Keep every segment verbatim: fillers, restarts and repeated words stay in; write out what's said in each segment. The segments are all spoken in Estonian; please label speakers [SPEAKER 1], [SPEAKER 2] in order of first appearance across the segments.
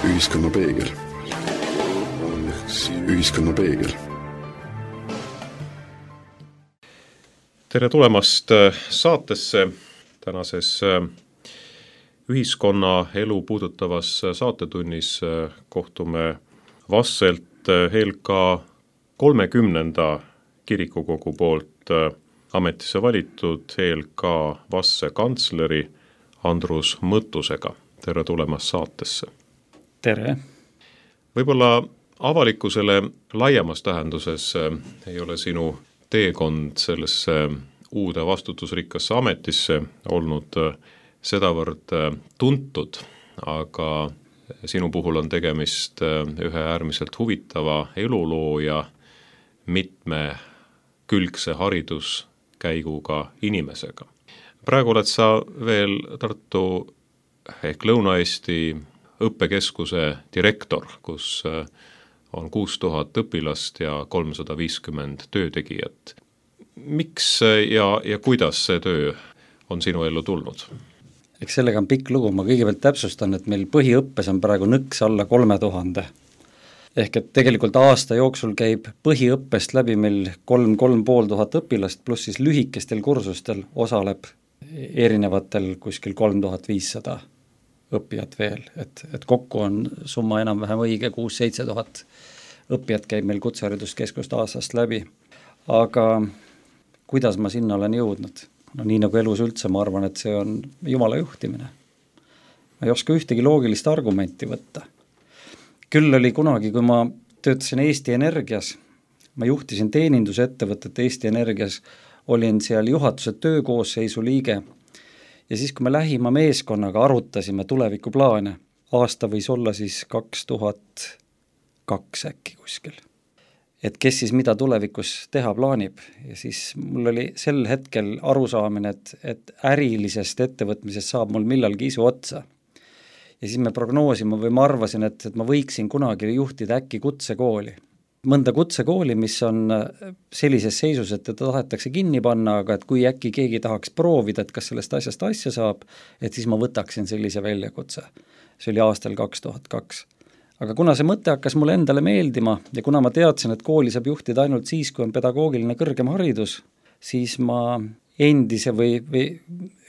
[SPEAKER 1] Ühiskonna peegel. Ühiskonna peegel.
[SPEAKER 2] Tere tulemast saatesse. Tänases ühiskonna elu puudutavas saatetunnis kohtume Vasselt Helka kolmekümnenda kirikukogu poolt ametisse valitud Helka Vasse kantsleri Andrus Mõttusega. Tere tulemast saatesse.
[SPEAKER 3] Tere.
[SPEAKER 2] Võib-olla avalikkusele laiemas tähenduses ei ole sinu teekond sellesse uude vastutusrikkasse ametisse olnud sedavõrd tuntud, aga sinu puhul on tegemist ühe äärmiselt huvitava eluloo ja mitmekülgse hariduskäiguga inimesega. Praegu oled sa veel Tartu ehk Lõuna-Eesti õppekeskuse direktor, kus on kuus tuhat õpilast ja kolmsada viiskümmend töötegijat. Miks ja, ja kuidas see töö on sinu ellu tulnud?
[SPEAKER 3] Eks sellega on pikk lugu, ma kõigepealt täpsustan, et meil põhiõppes on praegu nõks alla kolme tuhande. Ehk et tegelikult aasta jooksul käib põhiõppest läbi meil kolm, kolm pool tuhat õpilast, pluss siis lühikestel kursustel osaleb erinevatel kuskil kolm tuhat viissada õppijat veel, et, et kokku on summa enam-vähem õige, kuus seitse tuhat õppijat käib meil kutsehariduskeskust aastast läbi. Aga kuidas ma sinna olen jõudnud? No nii nagu elus üldse, ma arvan, et see on Jumala juhtimine. Ma ei oska ühtegi loogilist argumenti võtta. Küll oli kunagi, kui ma töötasin Eesti Energias, ma juhtisin teenindusettevõtet Eesti Energias, olin seal juhatuse töökoosseisu liige ja siis, kui me lähima meeskonnaga arutasime tulevikuplaane, aasta võis olla siis kaks tuhat kaks äkki kuskil. Et kes siis mida tulevikus teha plaanib. Ja siis mul oli sel hetkel arusaamine, et, et ärilisest ettevõtmisest saab mul millalgi isu otsa. Ja siis me prognoosime või ma arvasin, et, et ma võiksin kunagi juhtida äkki kutsekooli. Mõnda kutsekooli, mis on sellises seisus, et ta tahetakse kinni panna, aga et kui äkki keegi tahaks proovida, et kas sellest asjast asja saab, et siis ma võtaksin sellise väljakutse. See oli aastal kaks tuhat kaks. Aga kuna see mõte hakkas mulle endale meeldima ja kuna ma teadsin, et kooli saab juhtida ainult siis, kui on pedagoogiline kõrgem haridus, siis ma endise või, või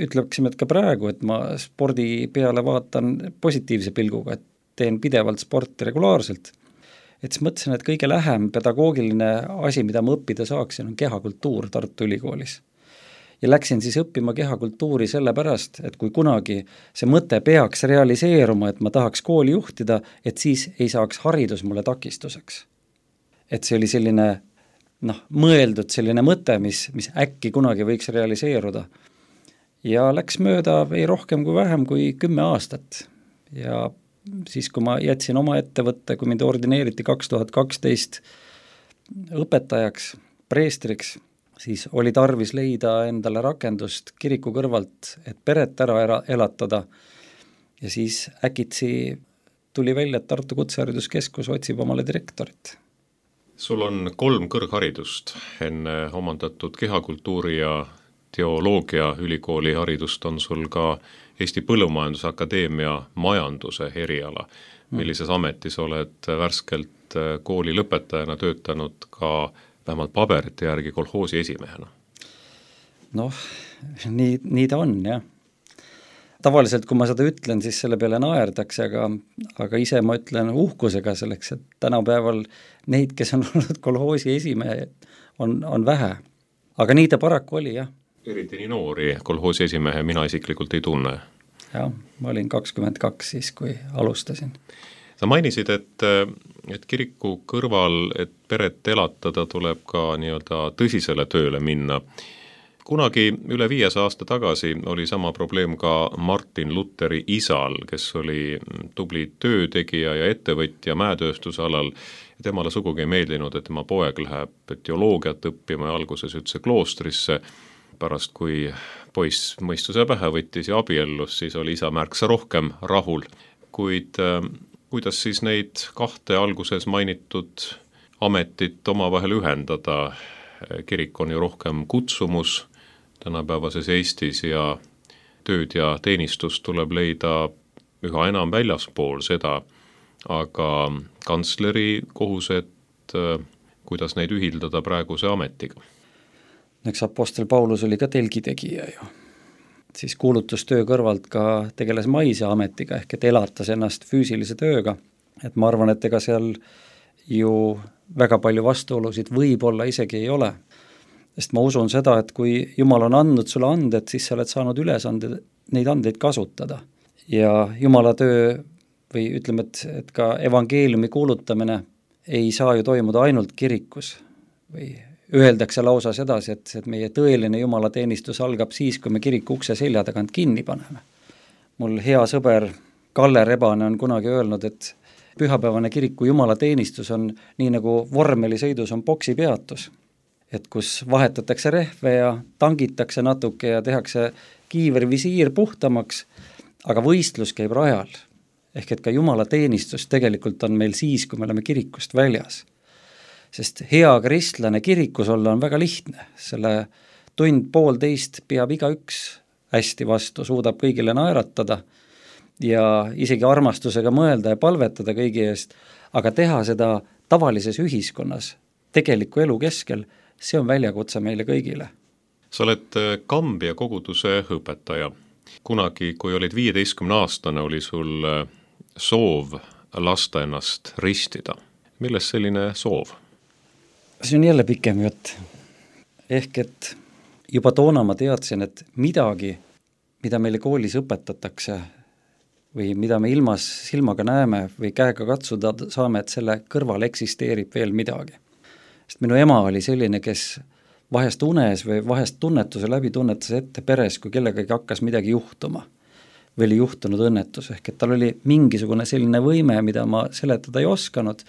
[SPEAKER 3] ütleksime, et ka praegu, et ma spordi peale vaatan positiivse pilguga, et teen pidevalt sporti regulaarselt. Et siis mõtlesin, et kõige lähem pedagoogiline asi, mida ma õppida saaksin, on kehakultuur Tartu Ülikoolis. Ja läksin siis õppima kehakultuuri sellepärast, et kui kunagi see mõte peaks realiseeruma, et ma tahaks kooli juhtida, et siis ei saaks haridus mulle takistuseks. Et see oli selline, noh, mõeldud selline mõte, mis, mis äkki kunagi võiks realiseeruda. Ja läks mööda ei rohkem kui vähem kui kümme aastat. Ja siis, kui ma jätsin oma ettevõtte, kui mind ordineeriti kaks tuhat kaksteist õpetajaks, preestriks, siis oli tarvis leida endale rakendust kiriku kõrvalt, et peret ära elatada. Ja siis äkitsi tuli välja, et Tartu Kutsehariduskeskus otsib omale direktorit.
[SPEAKER 2] Sul on kolm kõrgharidust. Enne omandatud kehakultuuri ja teoloogia ülikooli haridust on sul ka Eesti Põllumajandusakadeemia majanduse eriala. Millises ametis oled värskelt kooli lõpetajana töötanud ka vähemalt paberite järgi kolhoosi esimehena?
[SPEAKER 3] Noh, nii, nii ta on, jah. Tavaliselt, kui ma seda ütlen, siis selle peale naerdakse, aga, aga ise ma ütlen uhkusega selleks, et tänapäeval neid, kes on olnud kolhoosi esimehe, on, on vähe. Aga nii ta paraku oli, jah.
[SPEAKER 2] Eriti nii noori kolhoosi esimehe mina isiklikult ei tunne.
[SPEAKER 3] Jah, ma olin kakskümmend kaks siis, kui alustasin.
[SPEAKER 2] Sa mainisid, et, et kiriku kõrval, et peret elatada, tuleb ka nii-öelda tõsisele tööle minna. Kunagi üle viies aasta tagasi oli sama probleem ka Martin Lutheri isal, kes oli tubli töötegija ja ettevõtja mäetööstusalal. Temale sugugi ei meeldinud, et tema poeg läheb teoloogiat õppima ja alguses üldse kloostrisse. Pärast, kui poiss mõistuse pähe võttis ja abiellus, siis oli isa märksa rohkem rahul. Kuid kuidas siis neid kahte alguses mainitud ametit omavahel ühendada? Kirik on ju rohkem kutsumus tänapäevases Eestis ja tööd ja teenistust tuleb leida üha enam väljaspool seda, aga kantsleri kohused, kuidas neid ühildada praeguse ametiga?
[SPEAKER 3] Eks Apostel Paulus oli ka telgitegija ju. Siis kuulutustöö kõrvalt ka tegeles maise ametiga, ehk et elatas ennast füüsilise tööga. Et ma arvan, et ega seal ju väga palju vastuolusid võib-olla isegi ei ole. Sest ma usun seda, et kui Jumal on andnud sulle anded, siis sa oled saanud ülesanded, neid andeid kasutada. Ja Jumala töö või ütleme, et, et ka evangeeliumi kuulutamine ei saa ju toimuda ainult kirikus. Või öeldakse lausa sedasi, et, et meie tõeline jumalateenistus algab siis, kui me kiriku ukse selja tagant kinni paneme. Mul hea sõber Kalle Rebane on kunagi öelnud, et pühapäevane kiriku jumalateenistus on nii nagu vormelisõidus on boksipeatus, et kus vahetatakse rehve ja tangitakse natuke ja tehakse kiivervisiir puhtamaks, aga võistlus käib rajal. Ehk et ka jumalateenistus tegelikult on meil siis, kui me oleme kirikust väljas. Sest hea kristlane kirikus olla on väga lihtne, selle tund poolteist peab igaüks hästi vastu, suudab kõigile naeratada ja isegi armastusega mõelda ja palvetada kõigi eest, aga teha seda tavalises ühiskonnas, tegeliku elu keskel, see on väljakutse meile kõigile.
[SPEAKER 2] Sa oled Kambja koguduse õpetaja. Kunagi, kui olid viieteistkümne aastane, oli sul soov lasta ennast ristida. Milles selline soov?
[SPEAKER 3] See on jälle pikem jutt. Ehk et juba toona ma teadsin, et midagi, mida meile koolis õpetatakse või mida me ilmas silmaga näeme või käega katsuda saame, et selle kõrval eksisteerib veel midagi. Sest minu ema oli selline, kes vahest unes või vahest tunnetuse läbi tunnetas ette peres, kui kellegagi hakkas midagi juhtuma või oli juhtunud õnnetus. Ehk et tal oli mingisugune selline võime, mida ma seletada ei osanud,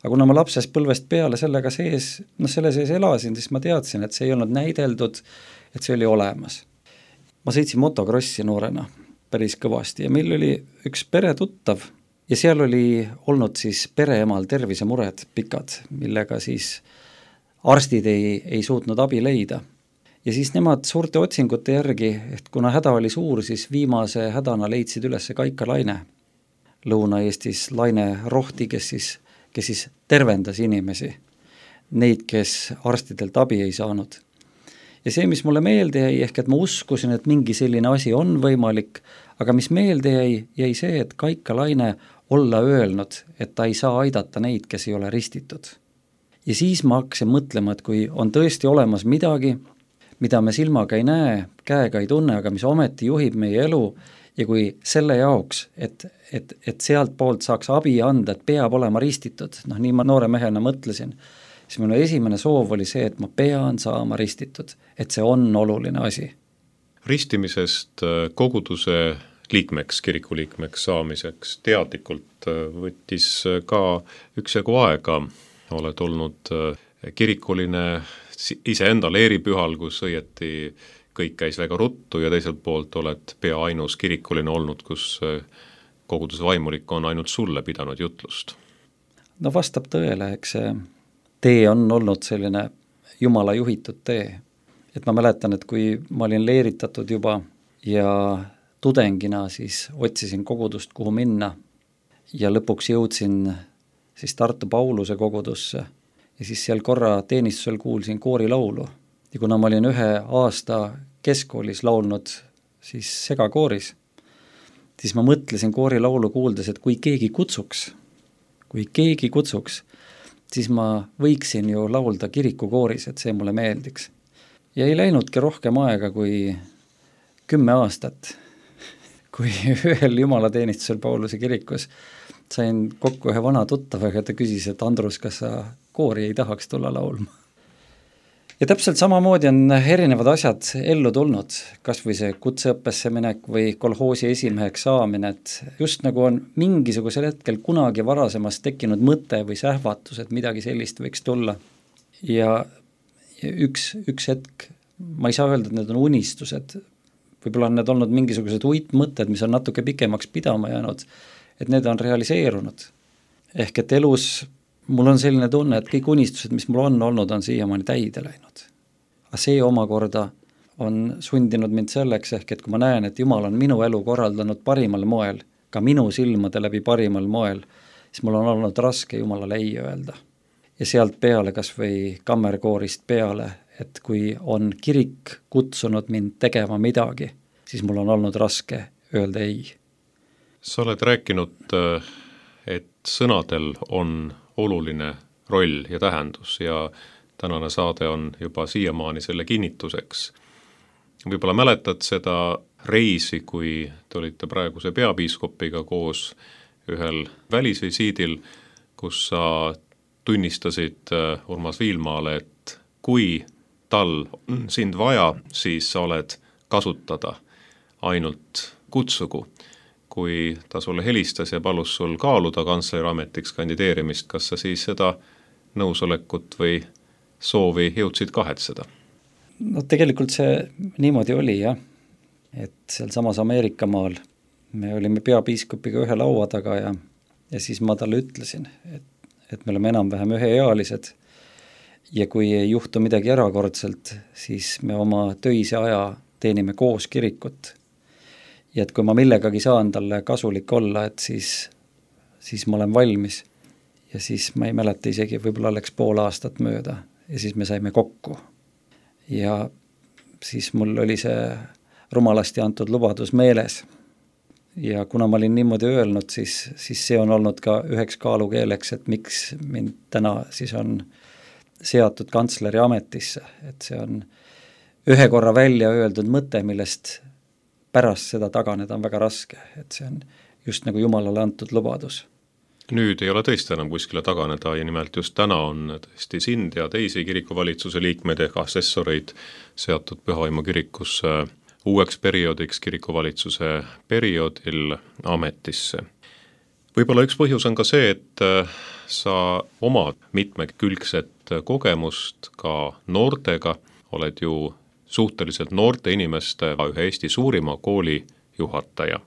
[SPEAKER 3] aga kuna ma lapsest põlvest peale sellega sees, no selle sees elasin, siis ma teadsin, et see ei olnud näideldud, et see oli olemas. Ma sõitsin motokrossi noorena päris kõvasti ja meil oli üks peretuttav ja seal oli olnud siis pereemal tervisemured pikad, millega siis arstid ei, ei suutnud abi leida. Ja siis nemad suurte otsingute järgi, et kuna häda oli suur, siis viimase hädana leidsid üles Kaika Laine. Lõuna-Eestis Laine Rohti, kes siis kes siis tervendas inimesi, neid, kes arstidelt abi ei saanud. Ja see, mis mulle meelde jäi, ehk et ma uskusin, et mingi selline asi on võimalik, aga mis meelde jäi, jäi see, et Kaika Laine olla öelnud, et ta ei saa aidata neid, kes ei ole ristitud. Ja siis ma hakkasin mõtlema, et kui on tõesti olemas midagi, mida me silmaga ei näe, käega ei tunne, aga mis ometi juhib meie elu, ja kui selle jaoks, et, et, et sealt poolt saaks abi anda, et peab olema ristitud, noh nii ma noore mehena mõtlesin, siis minu esimene soov oli see, et ma pean saama ristitud, et see on oluline asi.
[SPEAKER 2] Ristimisest koguduse liikmeks, kiriku liikmeks saamiseks teadlikult võttis ka üksjagu aega. Oled olnud kirikuline iseenda leeripühal, kus õieti kõik käis väga ruttu ja teiselt poolt oled pea ainus kirikuline olnud, kus koguduse vaimulik on ainult sulle pidanud jutlust.
[SPEAKER 3] No vastab tõele, eks see tee on olnud selline Jumala juhitud tee. Et ma mäletan, et kui ma olin leeritatud juba ja tudengina siis otsisin kogudust, kuhu minna ja lõpuks jõudsin siis Tartu Pauluse kogudusse ja siis seal korra teenistusel kuulsin koorilaulu. Ja kuna ma olin ühe aasta keskkoolis laulnud siis segakooris, siis ma mõtlesin koorilaulu kuuldes, et kui keegi kutsuks, kui keegi kutsuks, siis ma võiksin ju laulda kirikukooris, et see mulle meeldiks. Ja ei läinudki rohkem aega kui kümme aastat, kui ühel jumalateenistusel Pauluse kirikus sain kokku ühe vana tuttavaga, ta küsis, et Andrus, kas sa koori ei tahaks tulla laulma? Ja täpselt samamoodi on erinevad asjad ellu tulnud, kas või see kutseõppesse minek või kolhoosi esimeheks saamine, et just nagu on mingisugusel hetkel kunagi varasemast tekkinud mõte või sähvatus, et midagi sellist võiks tulla. Ja üks, üks hetk, ma ei saa öelda, et need on unistused, võib-olla on need olnud mingisugused uitmõtted, mis on natuke pikemaks pidama jäänud, et need on realiseerunud. Ehk et elus mul on selline tunne, et kõik unistused, mis mul on olnud, on siiamaani täide läinud. Aga see omakorda on sundinud mind selleks, ehk et kui ma näen, et Jumal on minu elu korraldanud parimal moel, ka minu silmade läbi parimal moel, siis mul on olnud raske Jumalale ei öelda. Ja sealt peale, kas või kammerkoorist peale, et kui on kirik kutsunud mind tegema midagi, siis mul on olnud raske öelda ei.
[SPEAKER 2] Sa oled rääkinud, et sõnadel on oluline roll ja tähendus ja tänane saade on juba siiamaani selle kinnituseks. Võib-olla mäletad seda reisi, kui te olite praeguse peapiiskopiga koos ühel välisvisiidil, kus sa tunnistasid Urmas Viilmaale, et kui tal on sind vaja, siis sa oled kasutada ainult kutsugu. Kui ta sulle helistas ja palus sul kaaluda kantsleri ametiks kandideerimist, kas sa siis seda nõusolekut või soovi jõudsid kahetseda?
[SPEAKER 3] No tegelikult see niimoodi oli jah, et seal samas Ameerika maal me olime peapiiskopiga ühe laua taga ja, ja siis ma talle ütlesin, et, et me oleme enam-vähem üheealised ja kui ei juhtu midagi erakordselt, siis me oma töise aja teenime koos kirikut. Ja et kui ma millegagi saan talle kasulik olla, et siis, siis ma olen valmis. Ja siis ma ei mäleta isegi, võib-olla oleks pool aastat mööda ja siis me saime kokku. Ja siis mul oli see rumalasti antud lubadus meeles. Ja kuna ma olin niimoodi öelnud, siis, siis see on olnud ka üheks kaalukeeleks, et miks mind täna siis on seatud kantsleri ametisse. Et see on ühe korra välja öeldud mõte, millest pärast seda taganeda on väga raske, et see on just nagu Jumalale antud lubadus.
[SPEAKER 2] Nüüd ei ole tõesti enam kuskile taganeda ja nimelt just täna on tõesti sind ja teisi kirikuvalitsuse liikmeid ehk assessoreid seatud Pühavaimu kirikusse uueks perioodiks kirikuvalitsuse perioodil ametisse. Võib-olla üks põhjus on ka see, et sa omad mitmekülgset kogemust ka noortega, oled ju suhteliselt noorte inimeste ühe Eesti suurima kooli juhataja.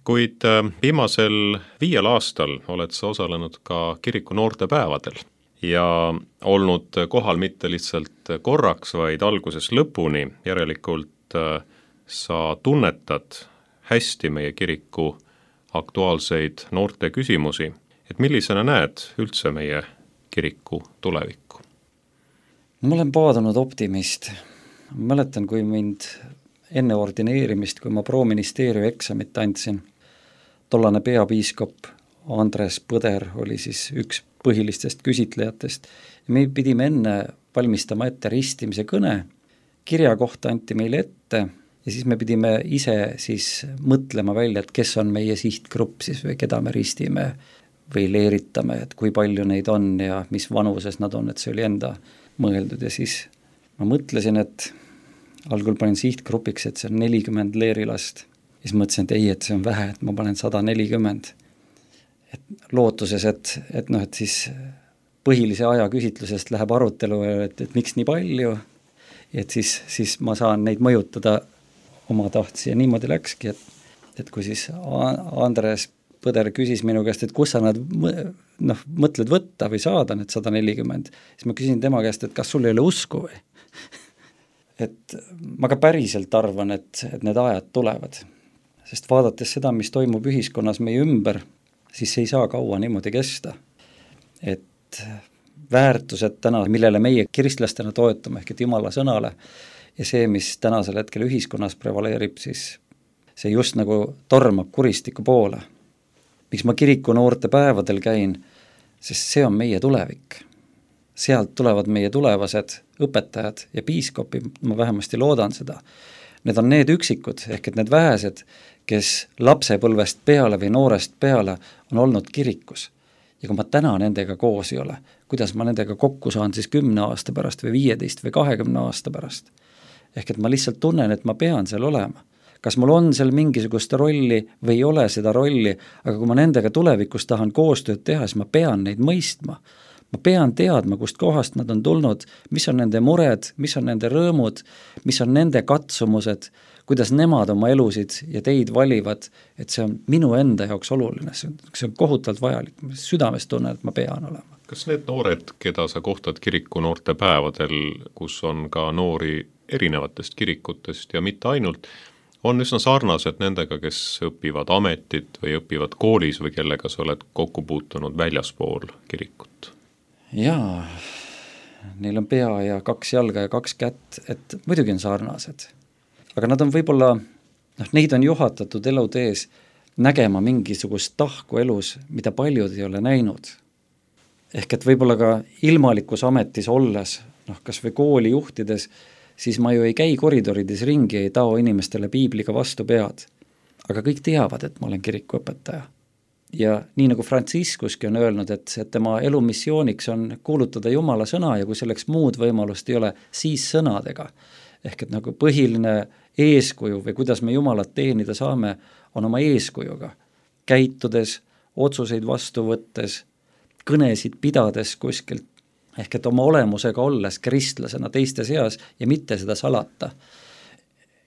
[SPEAKER 2] Kuid viimasel viiel aastal oled sa osalenud ka kiriku noortepäevadel ja olnud kohal mitte lihtsalt korraks, vaid alguses lõpuni. Järelikult sa tunnetad hästi meie kiriku aktuaalseid noorte küsimusi. Et millisena näed üldse meie kiriku tulevikku?
[SPEAKER 3] Ma olen paadunud optimist. Ma mäletan, kui mind enne ordineerimist, kui ma proministeeriumi eksamit andsin, tollane peapiiskop Andres Põder oli siis üks põhilistest küsitlejatest. Ja me pidime enne valmistama ette ristimise kõne, kirja kohta anti meile ette ja siis me pidime ise siis mõtlema välja, et kes on meie sihtgrupp siis või keda me ristime või leeritame, et kui palju neid on ja mis vanuses nad on, et see oli enda mõeldud ja siis ma mõtlesin, et algul panin sihtgrupiks, et see on nelikümmend leerilast. Ja siis mõtlesin, et ei, et see on vähe, et ma panen sada nelikümmend. Et lootuses, et, et, noh, et siis põhilise aja küsitlusest läheb arutelu, et, et miks nii palju, et siis, siis ma saan neid mõjutada oma tahtsi ja niimoodi läkski, et, et kui siis Andres Põder küsis minu käest, et kus sa nad noh, mõtled võtta või saada need sada nelikümmend, siis ma küsin tema käest, et kas sul ei ole usku või? Et ma ka päriselt arvan, et, et need ajad tulevad, sest vaadates seda, mis toimub ühiskonnas meie ümber, siis ei saa kaua niimoodi kesta. Et väärtused täna, millele meie kristlastena toetame, ehk et Jumala sõnale ja see, mis tänasel hetkel ühiskonnas prevaleerib, siis see just nagu tormab kuristiku poole. Miks ma kiriku noorte päevadel käin, sest see on meie tulevik. Sealt tulevad meie tulevased õpetajad ja piiskopid, ma vähemasti loodan seda. Need on need üksikud, ehk et need vähesed, kes lapsepõlvest peale või noorest peale on olnud kirikus. Ja kui ma täna nendega koos ei ole, kuidas ma nendega kokku saan siis kümne aasta pärast või viieteist või kahekümne aasta pärast. Ehk et ma lihtsalt tunnen, et ma pean seal olema. Kas mul on seal mingisugust rolli või ei ole seda rolli, aga kui ma nendega tulevikus tahan koostööd teha, siis ma pean neid mõistma. Ma pean teadma, kust kohast nad on tulnud, mis on nende mured, mis on nende rõõmud, mis on nende katsumused, kuidas nemad oma elusid ja teid valivad, et see on minu enda jaoks oluline, see on, see on kohutavalt vajalik, südames tunnen, et ma pean olema.
[SPEAKER 2] Kas need noored, keda sa kohtad kiriku noorte päevadel, kus on ka noori erinevatest kirikutest ja mitte ainult, on üsna sarnased nendega, kes õpivad ametit või õpivad koolis või kellega sa oled kokku puutunud väljaspool kirikut?
[SPEAKER 3] Jaa, neil on pea ja kaks jalga ja kaks kätt, et muidugi on sarnased. Aga nad on võib-olla, noh, neid on juhatatud elutees nägema mingisugust tahku elus, mida paljud ei ole näinud. Ehk et võib-olla ka ilmalikus ametis olles, noh, kas või kooli juhtides, siis ma ju ei käi koridorides ringi, ei tao inimestele piibliga vastu pead. Aga kõik teavad, et ma olen kirikuõpetaja. Ja nii nagu Franciscuski on öelnud, et, et tema elu missiooniks on kuulutada Jumala sõna ja kui selleks muud võimalust ei ole, siis sõnadega. Ehk et nagu põhiline eeskuju või kuidas me Jumalat teenida saame, on oma eeskujuga. Käitudes, otsuseid vastu võttes, kõnesid pidades kuskilt, ehk et oma olemusega olles kristlasena teiste seas ja mitte seda salata.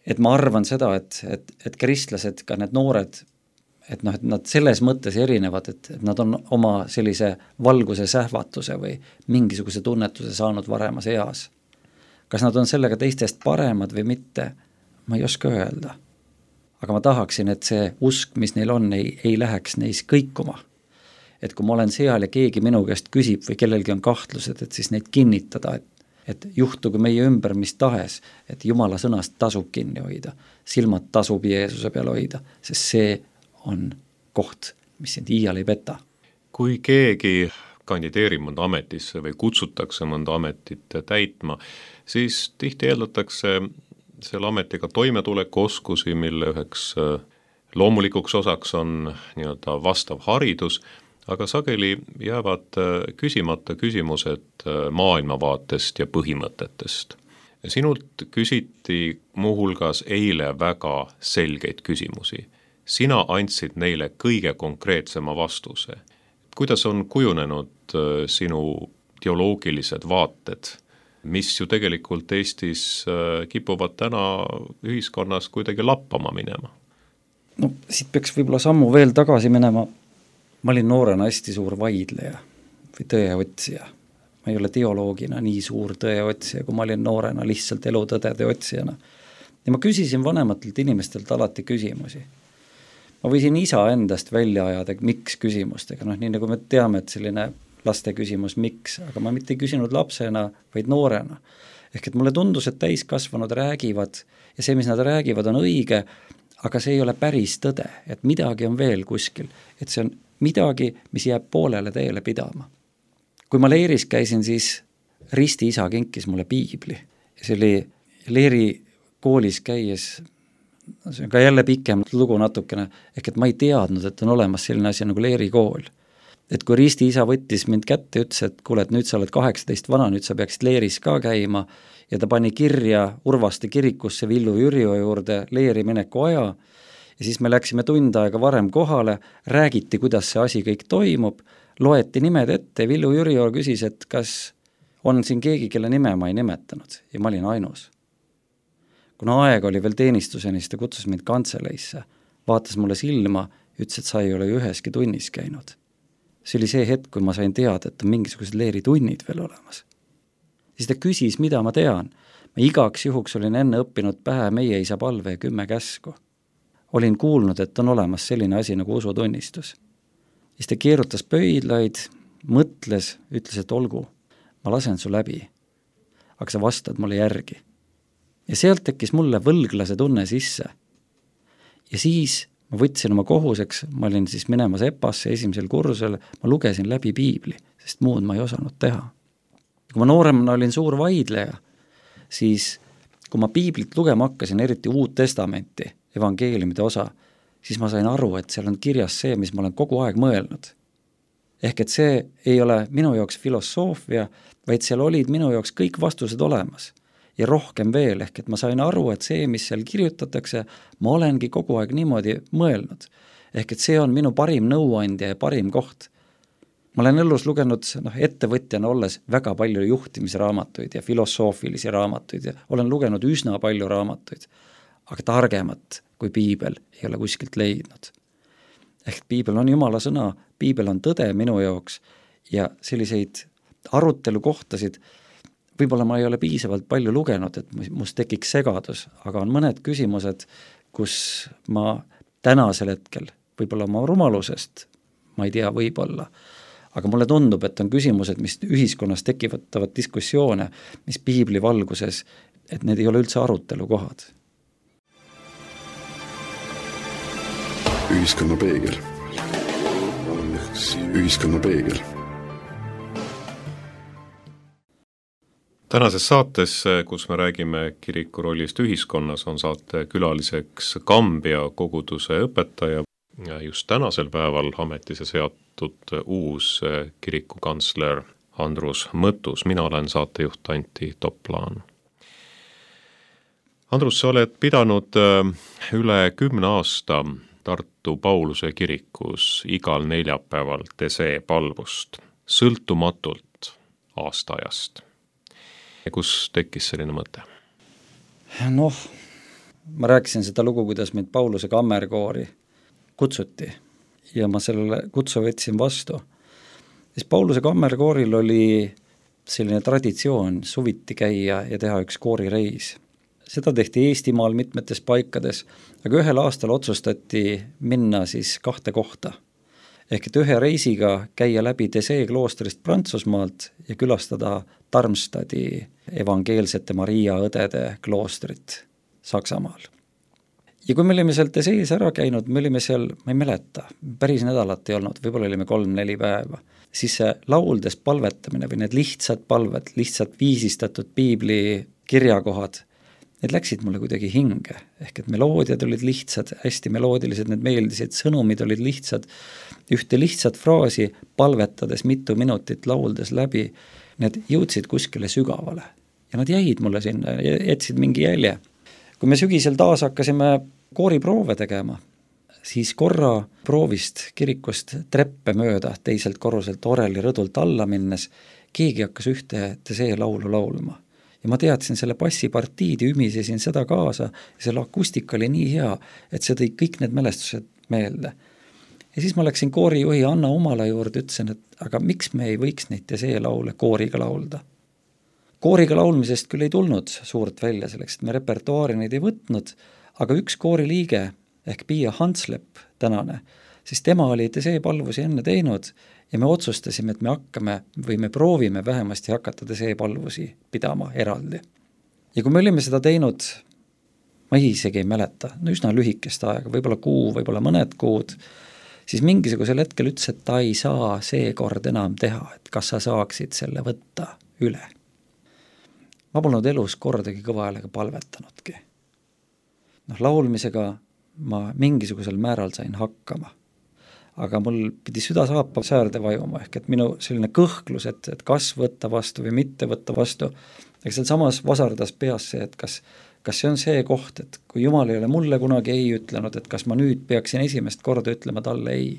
[SPEAKER 3] Et ma arvan seda, et, et, et kristlased, ka need noored, et noh, et nad selles mõttes erinevad, et, et nad on oma sellise valguse sähvatuse või mingisuguse tunnetuse saanud varemas eas. Kas nad on sellega teistest paremad või mitte, ma ei oska öelda. Aga ma tahaksin, et see usk, mis neil on, ei, ei läheks neis kõikuma. Et kui ma olen seal ja keegi minu käest küsib või kellelgi on kahtlused, et siis neid kinnitada, et, et juhtugu meie ümber mis tahes, et Jumala sõnast tasub kinni hoida, silmad tasub Jeesuse peal hoida, sest see on koht, mis sind iial ei peta.
[SPEAKER 2] Kui keegi kandideerib mõnda ametisse või kutsutakse mõnda ametit täitma, siis tihti eeldatakse selle ametiga toimetuleku oskusi, mille üheks loomulikuks osaks on nii-öelda vastav haridus, aga sageli jäävad küsimata küsimused maailmavaatest ja põhimõtetest. Sinult küsiti muuhulgas eile väga selgeid küsimusi. Sina andsid neile kõige konkreetsema vastuse. Kuidas on kujunenud sinu teoloogilised vaated, mis ju tegelikult Eestis kipuvad täna ühiskonnas kuidagi lappama minema?
[SPEAKER 3] No siit peaks võib-olla sammu veel tagasi minema. Ma olin noorena hästi suur vaidleja või tõeotsija. Ma ei ole teoloogina nii suur tõeotsija, kui ma olin noorena lihtsalt elutõdede otsijana. Ja ma küsisin vanematelt inimestelt alati küsimusi. Ma võisin isa endast välja ajada miks küsimustega, noh nii nagu me teame, et selline laste küsimus miks, aga ma mitte ei küsinud lapsena, vaid noorena. Ehk et mulle tundus, et täiskasvanud räägivad ja see, mis nad räägivad, on õige, aga see ei ole päris tõde, et midagi on veel kuskil, et see on midagi, mis jääb poolele teele pidama. Kui ma Leeris käisin, siis risti isa kinkis mulle piibli. See oli Leeri koolis käies, see on ka jälle pikem lugu natukene, ehk et ma ei teadnud, et on olemas selline asi nagu Leeri kool. Et kui risti isa võttis mind kätte ja ütles, et kuule, et nüüd sa oled kaheksateist vana, nüüd sa peaksid Leeris ka käima ja ta pani kirja Urvaste kirikusse Villu Jürio juurde Leeri mineku aja. Ja siis me läksime tund aega varem kohale, räägiti, kuidas see asi kõik toimub, loeti nimed ette, Villu Jürio küsis, et kas on siin keegi, kelle nime ma ei nimetanud ja ma olin ainus. Kuna aeg oli veel teenistuseni, siis ta kutsus mind kantseleisse, vaatas mulle silma, ütles, et sa ei ole üheski tunnis käinud. See oli see hetk, kui ma sain teada, et on mingisugused Leeri tunnid veel olemas. Siis ta küsis, mida ma tean. Ma igaks juhuks olin enne õppinud pähe meie isa palve ja kümme käsku. Olin kuulnud, et on olemas selline asi nagu usutunnistus. Siis ta keerutas pöidlaid, mõtles, ütles, et olgu, ma lasen su läbi, aga sa vastad mulle järgi. Ja sealt tekkis mulle võlglase tunne sisse. Ja siis ma võtsin oma kohuseks, ma olin siis minemas EPAsse esimesel kursusel, ma lugesin läbi piibli, sest muud ma ei osanud teha. Kui ma nooremana olin suur vaidleja, siis kui ma piiblit lugema hakkasin, eriti Uut Testamenti, evangeeliumide osa, siis ma sain aru, et seal on kirjas see, mis ma olen kogu aeg mõelnud. Ehk et see ei ole minu jaoks filosoofia, vaid seal olid minu jaoks kõik vastused olemas. Ja rohkem veel, ehk et ma sain aru, et see, mis seal kirjutatakse, ma olengi kogu aeg niimoodi mõelnud. Ehk et see on minu parim nõuandja ja parim koht. Ma olen elus lugenud noh, ettevõtjana olles väga palju juhtimisraamatuid ja filosoofilisi raamatuid ja olen lugenud üsna palju raamatuid, aga targemat kui piibel ei ole kuskilt leidnud. Ehk piibel on Jumala sõna, piibel on tõde minu jaoks ja selliseid arutelu kohtasid võib-olla ma ei ole piisavalt palju lugenud, et must tekiks segadus, aga on mõned küsimused, kus ma tänasel hetkel, võib-olla oma rumalusest, ma ei tea, võib-olla, aga mulle tundub, et on küsimused, mis ühiskonnas tekivatavat diskussioone, mis piibli valguses, et need ei ole üldse arutelukohad.
[SPEAKER 1] Ühiskonna peegel. Ühiskonna peegel.
[SPEAKER 2] Tänases saates, kus me räägime kiriku rollist ühiskonnas, on saate külaliseks Kambja koguduse õpetaja ja just tänasel päeval ametisse seatud uus kirikukantsler Andrus Mõttus. Mina olen saatejuht Antti Toplaan. Andrus, sa oled pidanud üle kümne aasta Tartu Pauluse kirikus igal neljapäeval tesee palvust, sõltumatult aastaajast. Ja kus tekkis selline mõte?
[SPEAKER 3] Noh, ma rääkisin seda lugu, kuidas meid Pauluse kammerkoori kutsuti ja ma sellele kutsu võtsin vastu. Siis Pauluse kammerkooril oli selline traditsioon suviti käia ja teha üks koorireis. Seda tehti Eestimaal mitmetes paikades, aga ühel aastal otsustati minna siis kahte kohta. Ehk et ühe reisiga käia läbi Tesee kloostrist Prantsusmaalt ja külastada Darmstadi evangeelsete Maria õdede kloostrit Saksamaal. Ja kui me olime seal Tesees ära käinud, me olime seal, ma ei mäleta, päris nädalat ei olnud, võib-olla olime kolm-neli päeva, siis see lauldes palvetamine või need lihtsad palved, lihtsalt viisistatud piibli kirjakohad, need läksid mulle kuidagi hinge, ehk et meloodiad olid lihtsad, hästi meloodilised, need meeldisid, sõnumid olid lihtsad, ühte lihtsat fraasi palvetades mitu minutit lauldes läbi, need jõudsid kuskile sügavale ja nad jäid mulle sinna, jätsid mingi jälje. Kui me sügisel taas hakkasime kooriproove tegema, siis korra proovist kirikust treppe mööda teiselt korruselt Oreli rõdult alla minnes, keegi hakkas ühte Tesee laulu laulma. Ja ma teadsin selle bassipartiid ja ümisesin seda kaasa ja selle akustika oli nii hea, et see tõi kõik need mälestused meelde. Ja siis ma läksin koorijuhi Anna Umala juurde, ütlesin, et aga miks me ei võiks neid Tesee laule kooriga laulda? Kooriga laulmisest küll ei tulnud suurt välja selleks, et me repertuaari neid ei võtnud, aga üks kooriliige ehk Pia Hanslep tänane, siis tema oli Tesee palvusi enne teinud ja me otsustasime, et me hakkame või me proovime vähemasti hakata Tesee palvusi pidama eraldi. Ja kui me olime seda teinud, ma isegi ei mäleta, no üsna lühikest aega, võib-olla kuu, võib-olla mõned kuud, siis mingisugusel hetkel ütles, et ta ei saa seekord enam teha, et kas sa saaksid selle võtta üle. Ma polnud elus kordagi kõva häälega palvetanudki. Noh, laulmisega ma mingisugusel määral sain hakkama. Aga mul pidi süda saapa säärde vajuma, ehk et minu selline kõhklus, et, et kas võtta vastu või mitte võtta vastu, eks seal samas vasardas peas see, et kas, kas see on see koht, et kui Jumal ei ole mulle kunagi ei ütlenud, et kas ma nüüd peaksin esimest korda ütlema talle ei.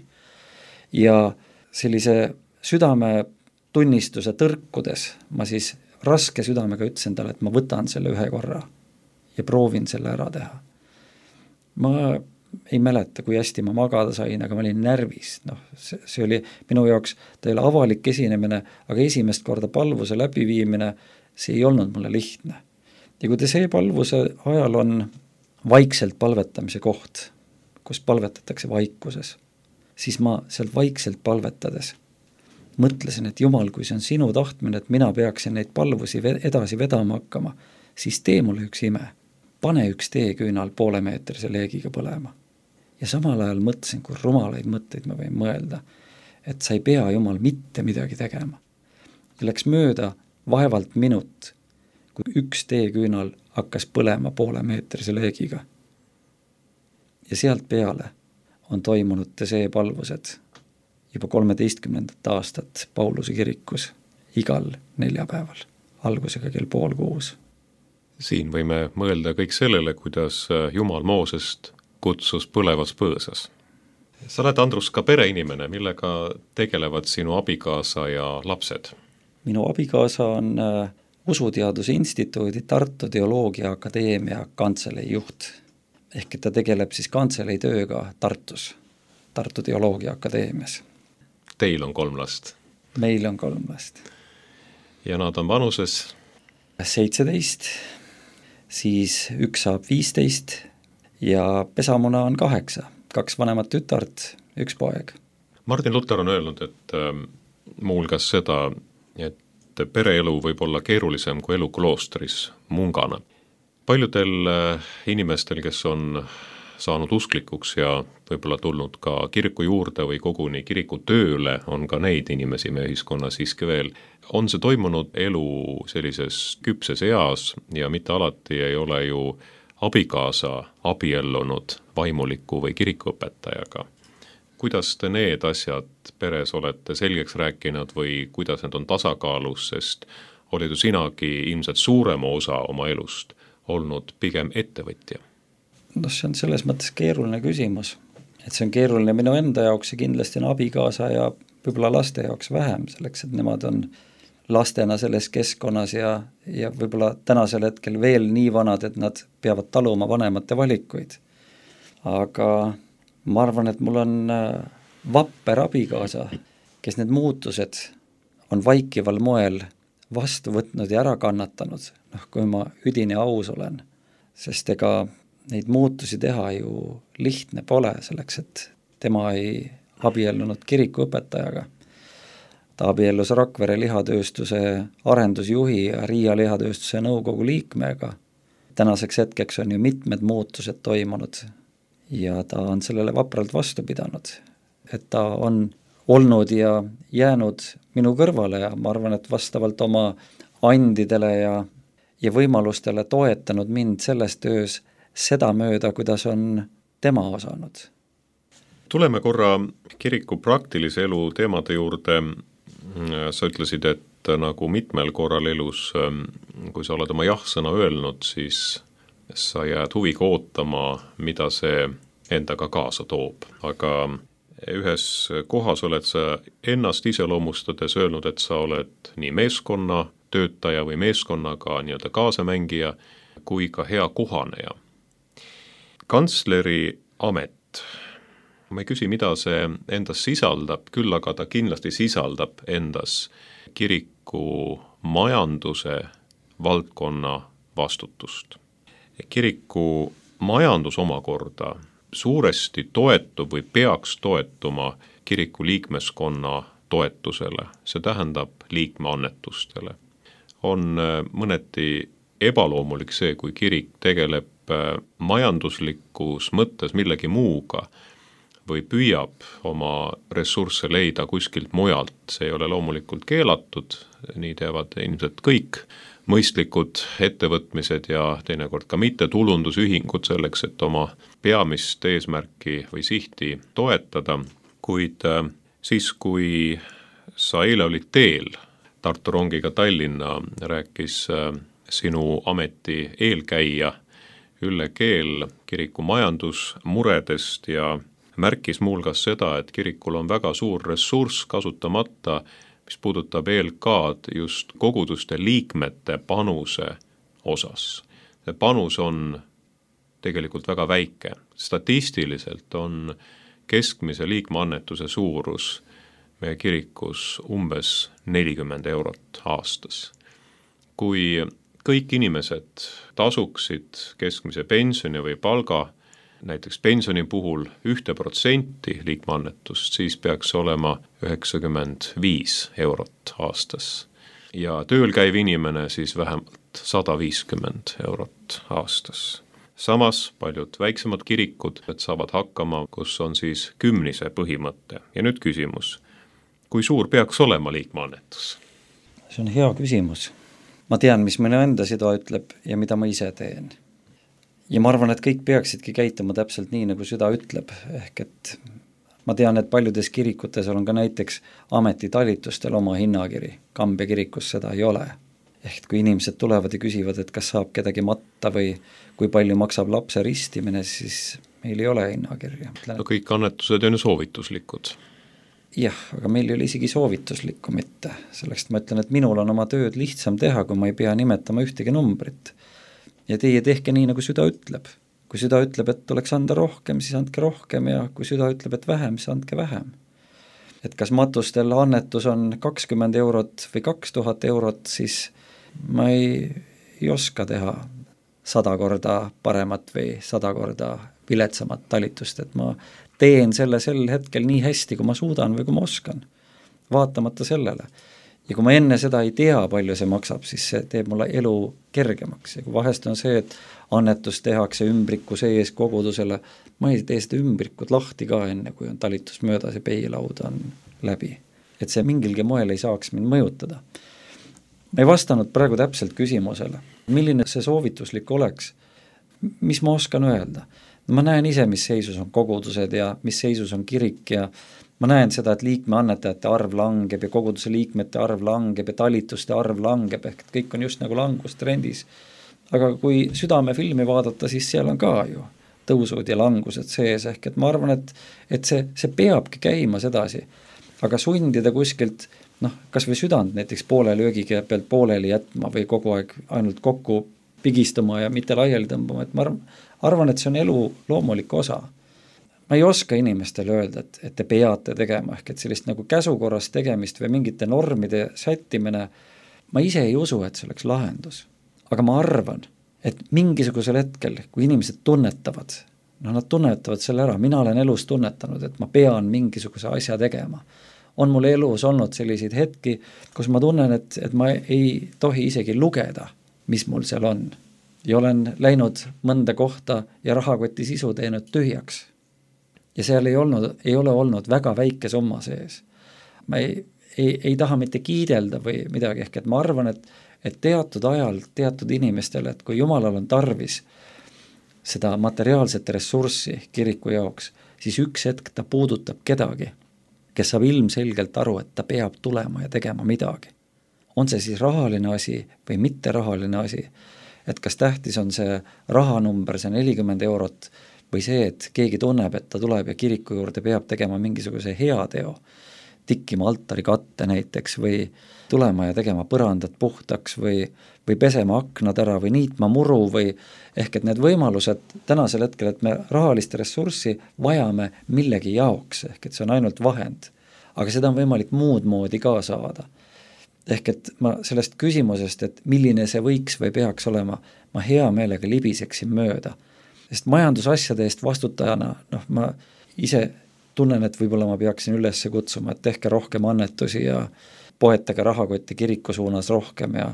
[SPEAKER 3] Ja sellise südame tunnistuse tõrkudes ma siis raske südamega ütlesin talle, et ma võtan selle ühe korra ja proovin selle ära teha. Ma ei mäleta, kui hästi ma magada sain, aga ma olin närvis. Noh, see, see oli minu jaoks, ta ei ole avalik esinemine, aga esimest korda palvuse läbiviimine, see ei olnud mulle lihtne. Ja kui te see palvuse ajal on vaikselt palvetamise koht, kus palvetatakse vaikuses, siis ma sealt vaikselt palvetades mõtlesin, et Jumal, kui see on sinu tahtmine, et mina peaksin neid palvusi edasi vedama hakkama, siis tee mulle üks ime. Pane üks teeküünal poole meetrise leegiga põlema. Ja samal ajal mõtlesin, kui rumalaid mõtteid ma võin mõelda, et sa ei pea Jumal mitte midagi tegema. Ja läks mööda vaevalt minut, kui üks teeküünal hakkas põlema poole meetrise leegiga. Ja sealt peale on toimunud Tesee palvused juba kolmeteistkümnendat aastat Pauluse kirikus igal neljapäeval, algusega kell pool kuus.
[SPEAKER 2] Siin võime mõelda kõik sellele, kuidas Jumal Moosest kutsus põlevas põõsas. Sa oled, Andrus, ka pereinimene, millega tegelevad sinu abikaasa ja lapsed?
[SPEAKER 3] Minu abikaasa on äh, Usuteaduse Instituudi Tartu Teoloogia Akadeemia kantselei juht. Ehk et ta tegeleb siis kantselei tööga Tartus, Tartu Teoloogia Akadeemias.
[SPEAKER 2] Teil on kolm last?
[SPEAKER 3] Meil on kolm last.
[SPEAKER 2] Ja nad on vanuses?
[SPEAKER 3] seitseteist, siis üks saab viisteist ja pesamuna on kaheksa, kaks vanemat tütart, üks poeg.
[SPEAKER 2] Martin Luther on öelnud, et äh, muuhulgas seda, et pereelu võib olla keerulisem kui elu kloostris mungana. Paljudel äh, inimestel, kes on saanud usklikuks ja võib-olla tulnud ka kiriku juurde või koguni kiriku tööle, on ka neid inimesi meie ühiskonnas siiski veel. On see toimunud elu sellises küpses eas ja mitte alati ei ole ju abikaasa abiellunud vaimuliku või kirikuõpetajaga. Kuidas te need asjad peres olete selgeks rääkinud või kuidas need on tasakaalus, sest olid ju sinagi ilmselt suurema osa oma elust olnud pigem ettevõtja?
[SPEAKER 3] No see on selles mõttes keeruline küsimus, et see on keeruline minu enda jaoks ja kindlasti on abikaasa ja võib-olla laste jaoks vähem, selleks et nemad on lastena selles keskkonnas ja, ja võib-olla tänasel hetkel veel nii vanad, et nad peavad taluma vanemate valikuid. Aga ma arvan, et mul on vapper abikaasa, kes need muutused on vaikival moel vastu võtnud ja ära kannatanud, noh, kui ma üdini aus olen, sest ega neid muutusi teha ju lihtne pole selleks, et tema ei abiellunud kirikuõpetajaga. Ta abiellus Rakvere lihatööstuse arendusjuhi ja Riia lihatööstuse nõukogu liikmega. Tänaseks hetkeks on ju mitmed muutused toimunud ja ta on sellele vapralt vastu pidanud, et ta on olnud ja jäänud minu kõrvale ja ma arvan, et vastavalt oma andidele ja, ja võimalustele toetanud mind selles töös seda mööda, kuidas on tema osanud.
[SPEAKER 2] Tuleme korra kiriku praktilise elu teemade juurde. Sa ütlesid, et nagu mitmel korral elus, kui sa oled oma jah-sõna öelnud, siis sa jääd huviga ootama, mida see endaga kaasa toob. Aga ühes kohas oled sa ennast iseloomustades öelnud, et sa oled nii meeskonna töötaja või meeskonnaga nii-öelda kaasamängija kui ka hea kohaneja. Kantsleri amet, ma ei küsi, mida see endas sisaldab, küll aga ta kindlasti sisaldab endas kiriku majanduse valdkonna vastutust. Kiriku majandus omakorda suuresti toetub või peaks toetuma kiriku liikmeskonna toetusele, see tähendab liikmeannetustele. On mõneti ebaloomulik see, kui kirik tegeleb majanduslikus mõttes millegi muuga või püüab oma ressursse leida kuskilt mujalt. See ei ole loomulikult keelatud, nii teevad ilmselt kõik mõistlikud ettevõtmised ja teinekord ka mitte tulundusühingud selleks, et oma peamist eesmärki või sihti toetada. Kuid siis, kui sa eile olid teel Tartu rongiga Tallinna, rääkis sinu ameti eelkäija Ülle Keel kiriku majandusmuredest ja märkis muuhulgas seda, et kirikul on väga suur ressurss kasutamata, mis puudutab E L K-d just koguduste liikmete panuse osas. See panus on tegelikult väga väike. Statistiliselt on keskmise liikmeannetuse suurus meie kirikus umbes nelikümmend eurot aastas. Kui kõik inimesed tasuksid keskmise pensioni või palga, näiteks pensioni puhul ühte protsenti liikmeannetust, siis peaks olema üheksakümmend viis eurot aastas. Ja tööl käiv inimene siis vähemalt sada viiskümmend eurot aastas. Samas paljud väiksemad kirikud saavad hakkama, kus on siis kümnise põhimõte. Ja nüüd küsimus, kui suur peaks olema liikmeannetus?
[SPEAKER 3] See on hea küsimus. Ma tean, mis minu enda süda ütleb ja mida ma ise teen. Ja ma arvan, et kõik peaksidki käituma täpselt nii, nagu süda ütleb. Ehk et ma tean, et paljudes kirikutes on ka näiteks ametitalitustel oma hinnakiri. Kambja kirikus seda ei ole. Ehk kui inimesed tulevad ja küsivad, et kas saab kedagi matta või kui palju maksab lapse ristimine, siis meil ei ole hinnakirja.
[SPEAKER 2] No kõik annetused on ju soovituslikud.
[SPEAKER 3] Jah, aga meil ei ole isegi soovituslikku mitte. Selleks ma ütlen, et minul on oma tööd lihtsam teha, kui ma ei pea nimetama ühtegi numbrit. Ja teie tehke nii, nagu süda ütleb. Kui süda ütleb, et tuleks anda rohkem, siis andke rohkem ja kui süda ütleb, et vähem, siis andke vähem. Et kas matustel annetus on kakskümmend eurot või kaks tuhat eurot, siis ma ei, ei oska teha sada korda paremat või sada korda viletsamat talitust, et ma teen selle sel hetkel nii hästi, kui ma suudan või kui ma oskan, vaatamata sellele. Ja kui ma enne seda ei tea, palju see maksab, siis see teeb mulle elu kergemaks. Ja kui vahest on see, et annetus tehakse ümbriku sees kogudusele, ma ei tee seda ümbrikut lahti ka enne, kui on talitus möödas ja peilaud on läbi. Et see mingilgi moel ei saaks mind mõjutada. Ma ei vastanud praegu täpselt küsimusele, milline see soovituslik oleks, mis ma oskan öelda. Ma näen ise, mis seisus on kogudused ja mis seisus on kirik ja ma näen seda, et liikme annetajate arv langeb ja koguduse liikmete arv langeb ja talituste arv langeb, ehk et kõik on just nagu langustrendis. Aga kui südamefilmi vaadata, siis seal on ka ju tõusud ja langused sees, ehk et ma arvan, et, et see, see peabki käima sedasi. Aga sundida kuskilt, noh, kas või südant näiteks poole löögiga pealt pooleli jätma või kogu aeg ainult kokku pigistama ja mitte laiali tõmbama, et ma arvan, et see on elu loomulik osa. Ma ei oska inimestele öelda, et, et te peate tegema, ehk et sellist nagu käsukorras tegemist või mingite normide sättimine, ma ise ei usu, et see oleks lahendus. Aga ma arvan, et mingisugusel hetkel, kui inimesed tunnetavad, no nad tunnetavad selle ära, mina olen elus tunnetanud, et ma pean mingisuguse asja tegema. On mul elus olnud selliseid hetki, kus ma tunnen, et, et ma ei tohi isegi lugeda, mis mul seal on. Ja olen läinud mõnda kohta ja rahakoti sisu teinud tühjaks. Ja seal ei, olnud, ei ole olnud väga väike summa sees. Ma ei, ei, ei taha mitte kiidelda või midagi, ehk et ma arvan, et, et teatud ajal, teatud inimestele, et kui Jumalal on tarvis seda materiaalset ressurssi kiriku jaoks, siis üks hetk ta puudutab kedagi, kes saab ilmselgelt aru, et ta peab tulema ja tegema midagi. On see siis rahaline asi või mitte rahaline asi, et kas tähtis on see rahanumber, see nelikümmend eurot, või see, et keegi tunneb, et ta tuleb ja kiriku juurde peab tegema mingisuguse heateo, tikkima altari katte näiteks või tulema ja tegema põrandat puhtaks või, või pesema aknad ära või niitma muru või ehk et need võimalused tänasel hetkel, et me rahalist ressurssi vajame millegi jaoks, ehk et see on ainult vahend, aga seda on võimalik muud moodi ka saada. Ehk et ma sellest küsimusest, et milline see võiks või peaks olema, ma hea meelega libiseksin mööda. Sest majandusasjade eest vastutajana, noh, ma ise tunnen, et võib-olla ma peaksin üles kutsuma, et tehke rohkem annetusi ja poetage rahakotti kiriku suunas rohkem ja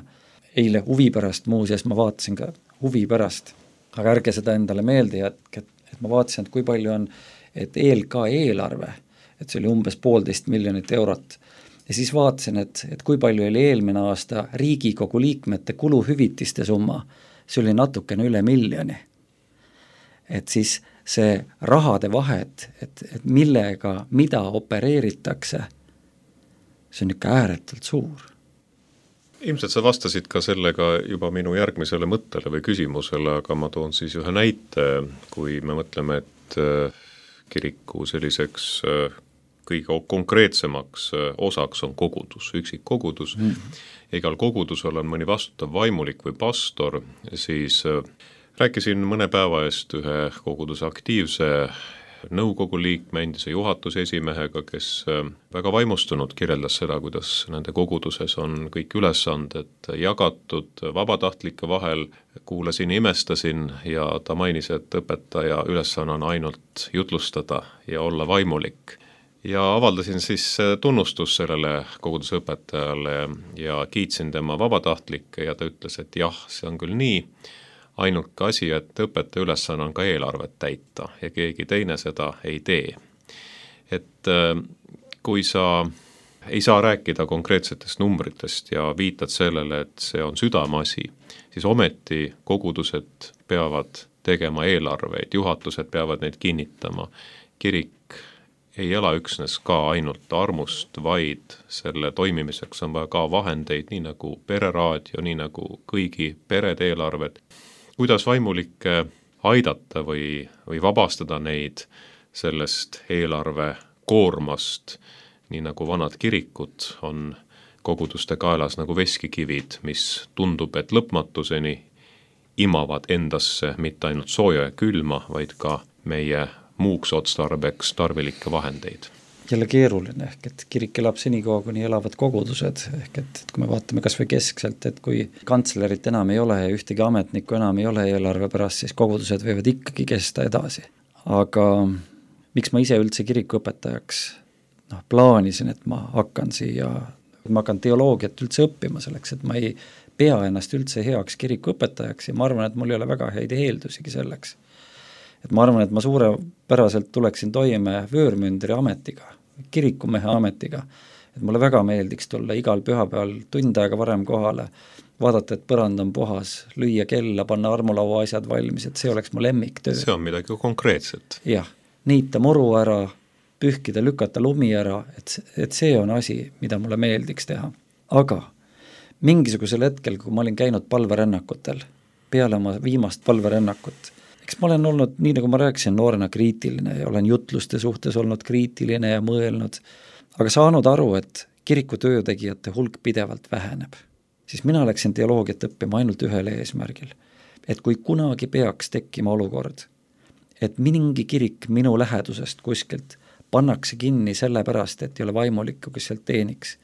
[SPEAKER 3] eile huvi pärast muuseas ma vaatasin ka huvi pärast, aga ärge seda endale meelde jätke, et ma vaatasin, et kui palju on, et E L K eelarve, et see oli umbes poolteist miljonit eurot ja siis vaatasin, et, et kui palju oli eelmine aasta Riigikogu liikmete kuluhüvitiste summa, see oli natukene üle miljoni. Et siis see rahade vahet, et, et millega, mida opereeritakse, see on ikka ääretult suur.
[SPEAKER 2] Ilmselt sa vastasid ka sellega juba minu järgmisele mõttele või küsimusele, aga ma toon siis ühe näite, kui me mõtleme, et kiriku selliseks kõige konkreetsemaks osaks on kogudus, üksik kogudus. Mm. Igal kogudusel on mõni vastutav vaimulik või pastor, siis rääkisin mõne päeva eest ühe koguduse aktiivse nõukogu liikme, endise juhatuse esimehega, kes väga vaimustunud kirjeldas seda, kuidas nende koguduses on kõik ülesanded jagatud vabatahtlike vahel, kuulasin, imestasin ja ta mainis, et õpetaja ülesanne on ainult jutlustada ja olla vaimulik. Ja avaldasin siis tunnustus sellele koguduse õpetajale ja kiitsin tema vabatahtlikke ja ta ütles, et jah, see on küll nii, ainult ka asi, et õpetaja ülesanne on ka eelarvet täita ja keegi teine seda ei tee. Et kui sa ei saa rääkida konkreetsetest numbritest ja viitad sellele, et see on südameasi, siis ometi kogudused peavad tegema eelarveid, juhatused peavad neid kinnitama. Kirik ei ela üksnes ka ainult armust, vaid selle toimimiseks on vaja ka vahendeid, nii nagu pereraadio, nii nagu kõigi perede eelarved. Kuidas vaimulikke aidata või, või vabastada neid sellest eelarve koormast, nii nagu vanad kirikud on koguduste kaelas nagu veskikivid, mis tundub, et lõpmatuseni imavad endasse mitte ainult sooja ja külma, vaid ka meie muuks otstarbeks tarvilikke vahendeid.
[SPEAKER 3] jälle keeruline, ehk et kirik elab senikaua, kuni elavad kogudused, ehk et, et kui me vaatame kas või keskselt, et kui kantslerit enam ei ole ja ühtegi ametnikku enam ei ole eelarve pärast, siis kogudused võivad ikkagi kesta edasi. Aga miks ma ise üldse kirikuõpetajaks noh, plaanisin, et ma hakkan siia, ma hakkan teoloogiat üldse õppima selleks, et ma ei pea ennast üldse heaks kirikuõpetajaks ja ma arvan, et mul ei ole väga häid eeldusigi selleks. Et ma arvan, et ma suurepäraselt tuleksin toime vöörmündri ametiga, kirikumehe ametiga, et mulle väga meeldiks tulla igal pühapäeval tund aega varem kohale, vaadata, et põrand on puhas, lüüa kella, panna armulaua asjad valmis, et see oleks mu lemmiktöö.
[SPEAKER 2] See on midagi konkreetset.
[SPEAKER 3] Jah, niita muru ära, pühkida, lükata lumi ära, et, et see on asi, mida mulle meeldiks teha. Aga mingisugusel hetkel, kui ma olin käinud palverännakutel, peale oma viimast palverännakut, eks ma olen olnud, nii nagu ma rääkisin, noorena kriitiline ja olen jutluste suhtes olnud kriitiline ja mõelnud, aga saanud aru, et kiriku töötegijate hulk pidevalt väheneb. Siis mina läksin teoloogiat õppima ainult ühele eesmärgil, et kui kunagi peaks tekkima olukord, et mingi kirik minu lähedusest kuskilt pannakse kinni selle pärast, et ei ole vaimulikku, kes sealt teeniks,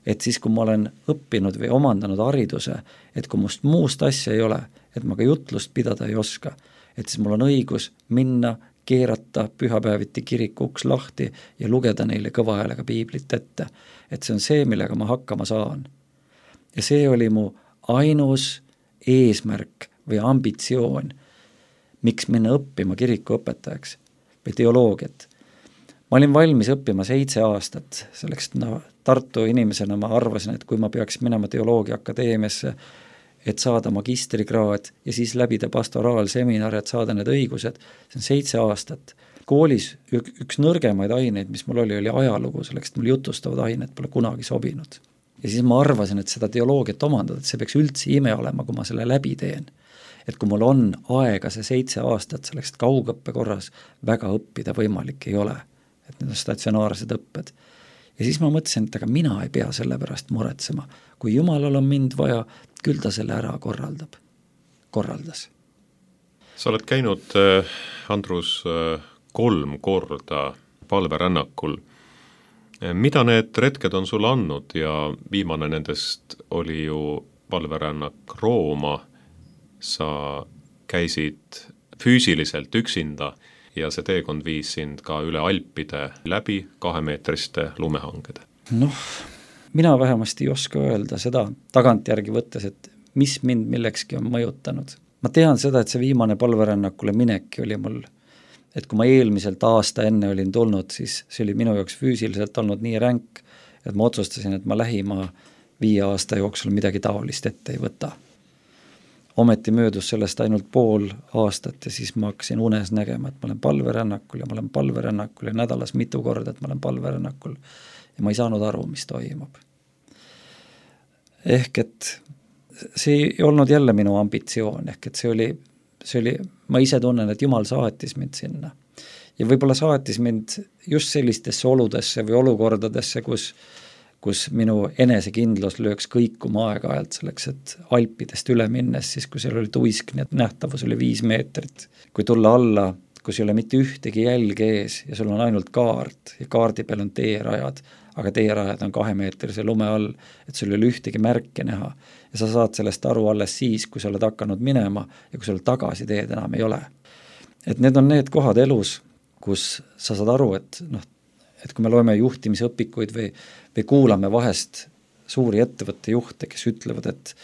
[SPEAKER 3] et siis, kui ma olen õppinud või omandanud hariduse, et kui must muust asja ei ole, et ma ka jutlust pidada ei oska, et siis mul on õigus minna, keerata pühapäeviti kiriku uks lahti ja lugeda neile kõva häälega piiblit ette. Et see on see, millega ma hakkama saan. Ja see oli mu ainus eesmärk või ambitsioon, miks minna õppima kirikuõpetajaks või teoloogiat. Ma olin valmis õppima seitse aastat, selleks no, Tartu inimesena ma arvasin, et kui ma peaks minema teoloogia akadeemiasse, et saada magistrikraad ja siis läbida pastoraalseminar, et saada need õigused, see on seitse aastat. Koolis üks nõrgemaid aineid, mis mul oli, oli ajalugu, selleks, et mul jutustavad ained pole kunagi sobinud. Ja siis ma arvasin, et seda teoloogiat omandada, et see peaks üldse ime olema, kui ma selle läbi teen. Et kui mul on aega see seitse aastat, selleks, et kaugõppe korras väga õppida võimalik ei ole, et need on statsionaarsed õpped. Ja siis ma mõtlesin, et aga mina ei pea selle pärast muretsema. Kui Jumalal on mind vaja, küll ta selle ära korraldab. Korraldas.
[SPEAKER 2] Sa oled käinud, Andrus, kolm korda palverännakul. Mida need retked on sulle andnud ja viimane nendest oli ju palverännak Rooma. Sa käisid füüsiliselt üksinda ja see teekond viis sind ka üle Alpide läbi kahemeetriste lumehangede.
[SPEAKER 3] Noh, mina vähemasti ei oska öelda seda tagantjärgi võttes, et mis mind millekski on mõjutanud. Ma tean seda, et see viimane palverännakule mineki oli mul, et kui ma eelmiselt aasta enne olin tulnud, siis see oli minu jaoks füüsiliselt olnud nii ränk, et ma otsustasin, et ma lähima viie aasta jooksul midagi taolist ette ei võta. Ometi möödus sellest ainult pool aastat ja siis ma hakkasin unes nägema, et ma olen palverännakul ja ma olen palverännakul ja nädalas mitu korda, et ma olen palverännakul ja ma ei saanud aru, mis toimub. Ehk et see ei olnud jälle minu ambitsioon, ehk et see oli, see oli, ma ise tunnen, et Jumal saatis mind sinna. Ja võib-olla saatis mind just sellistesse oludesse või olukordadesse, kus kus minu enesekindlus lööks kõikuma aeg-ajalt selleks, et Alpidest üle minnes, siis kui seal oli tuisk, nii et nähtavus oli viis meetrit. Kui tulla alla, kus ei ole mitte ühtegi jälge ees ja sul on ainult kaart ja kaardi peal on teerajad, aga teerajad on kahemeetrise lume all, et sul ei ole ühtegi märke näha. Ja sa saad sellest aru alles siis, kui sa oled hakanud minema ja kui sul tagasi teed enam ei ole. Et need on need kohad elus, kus sa saad aru, et noh, et kui me loeme juhtimisõpikuid või, või kuulame vahest suuri ettevõtte juhte, kes ütlevad, et,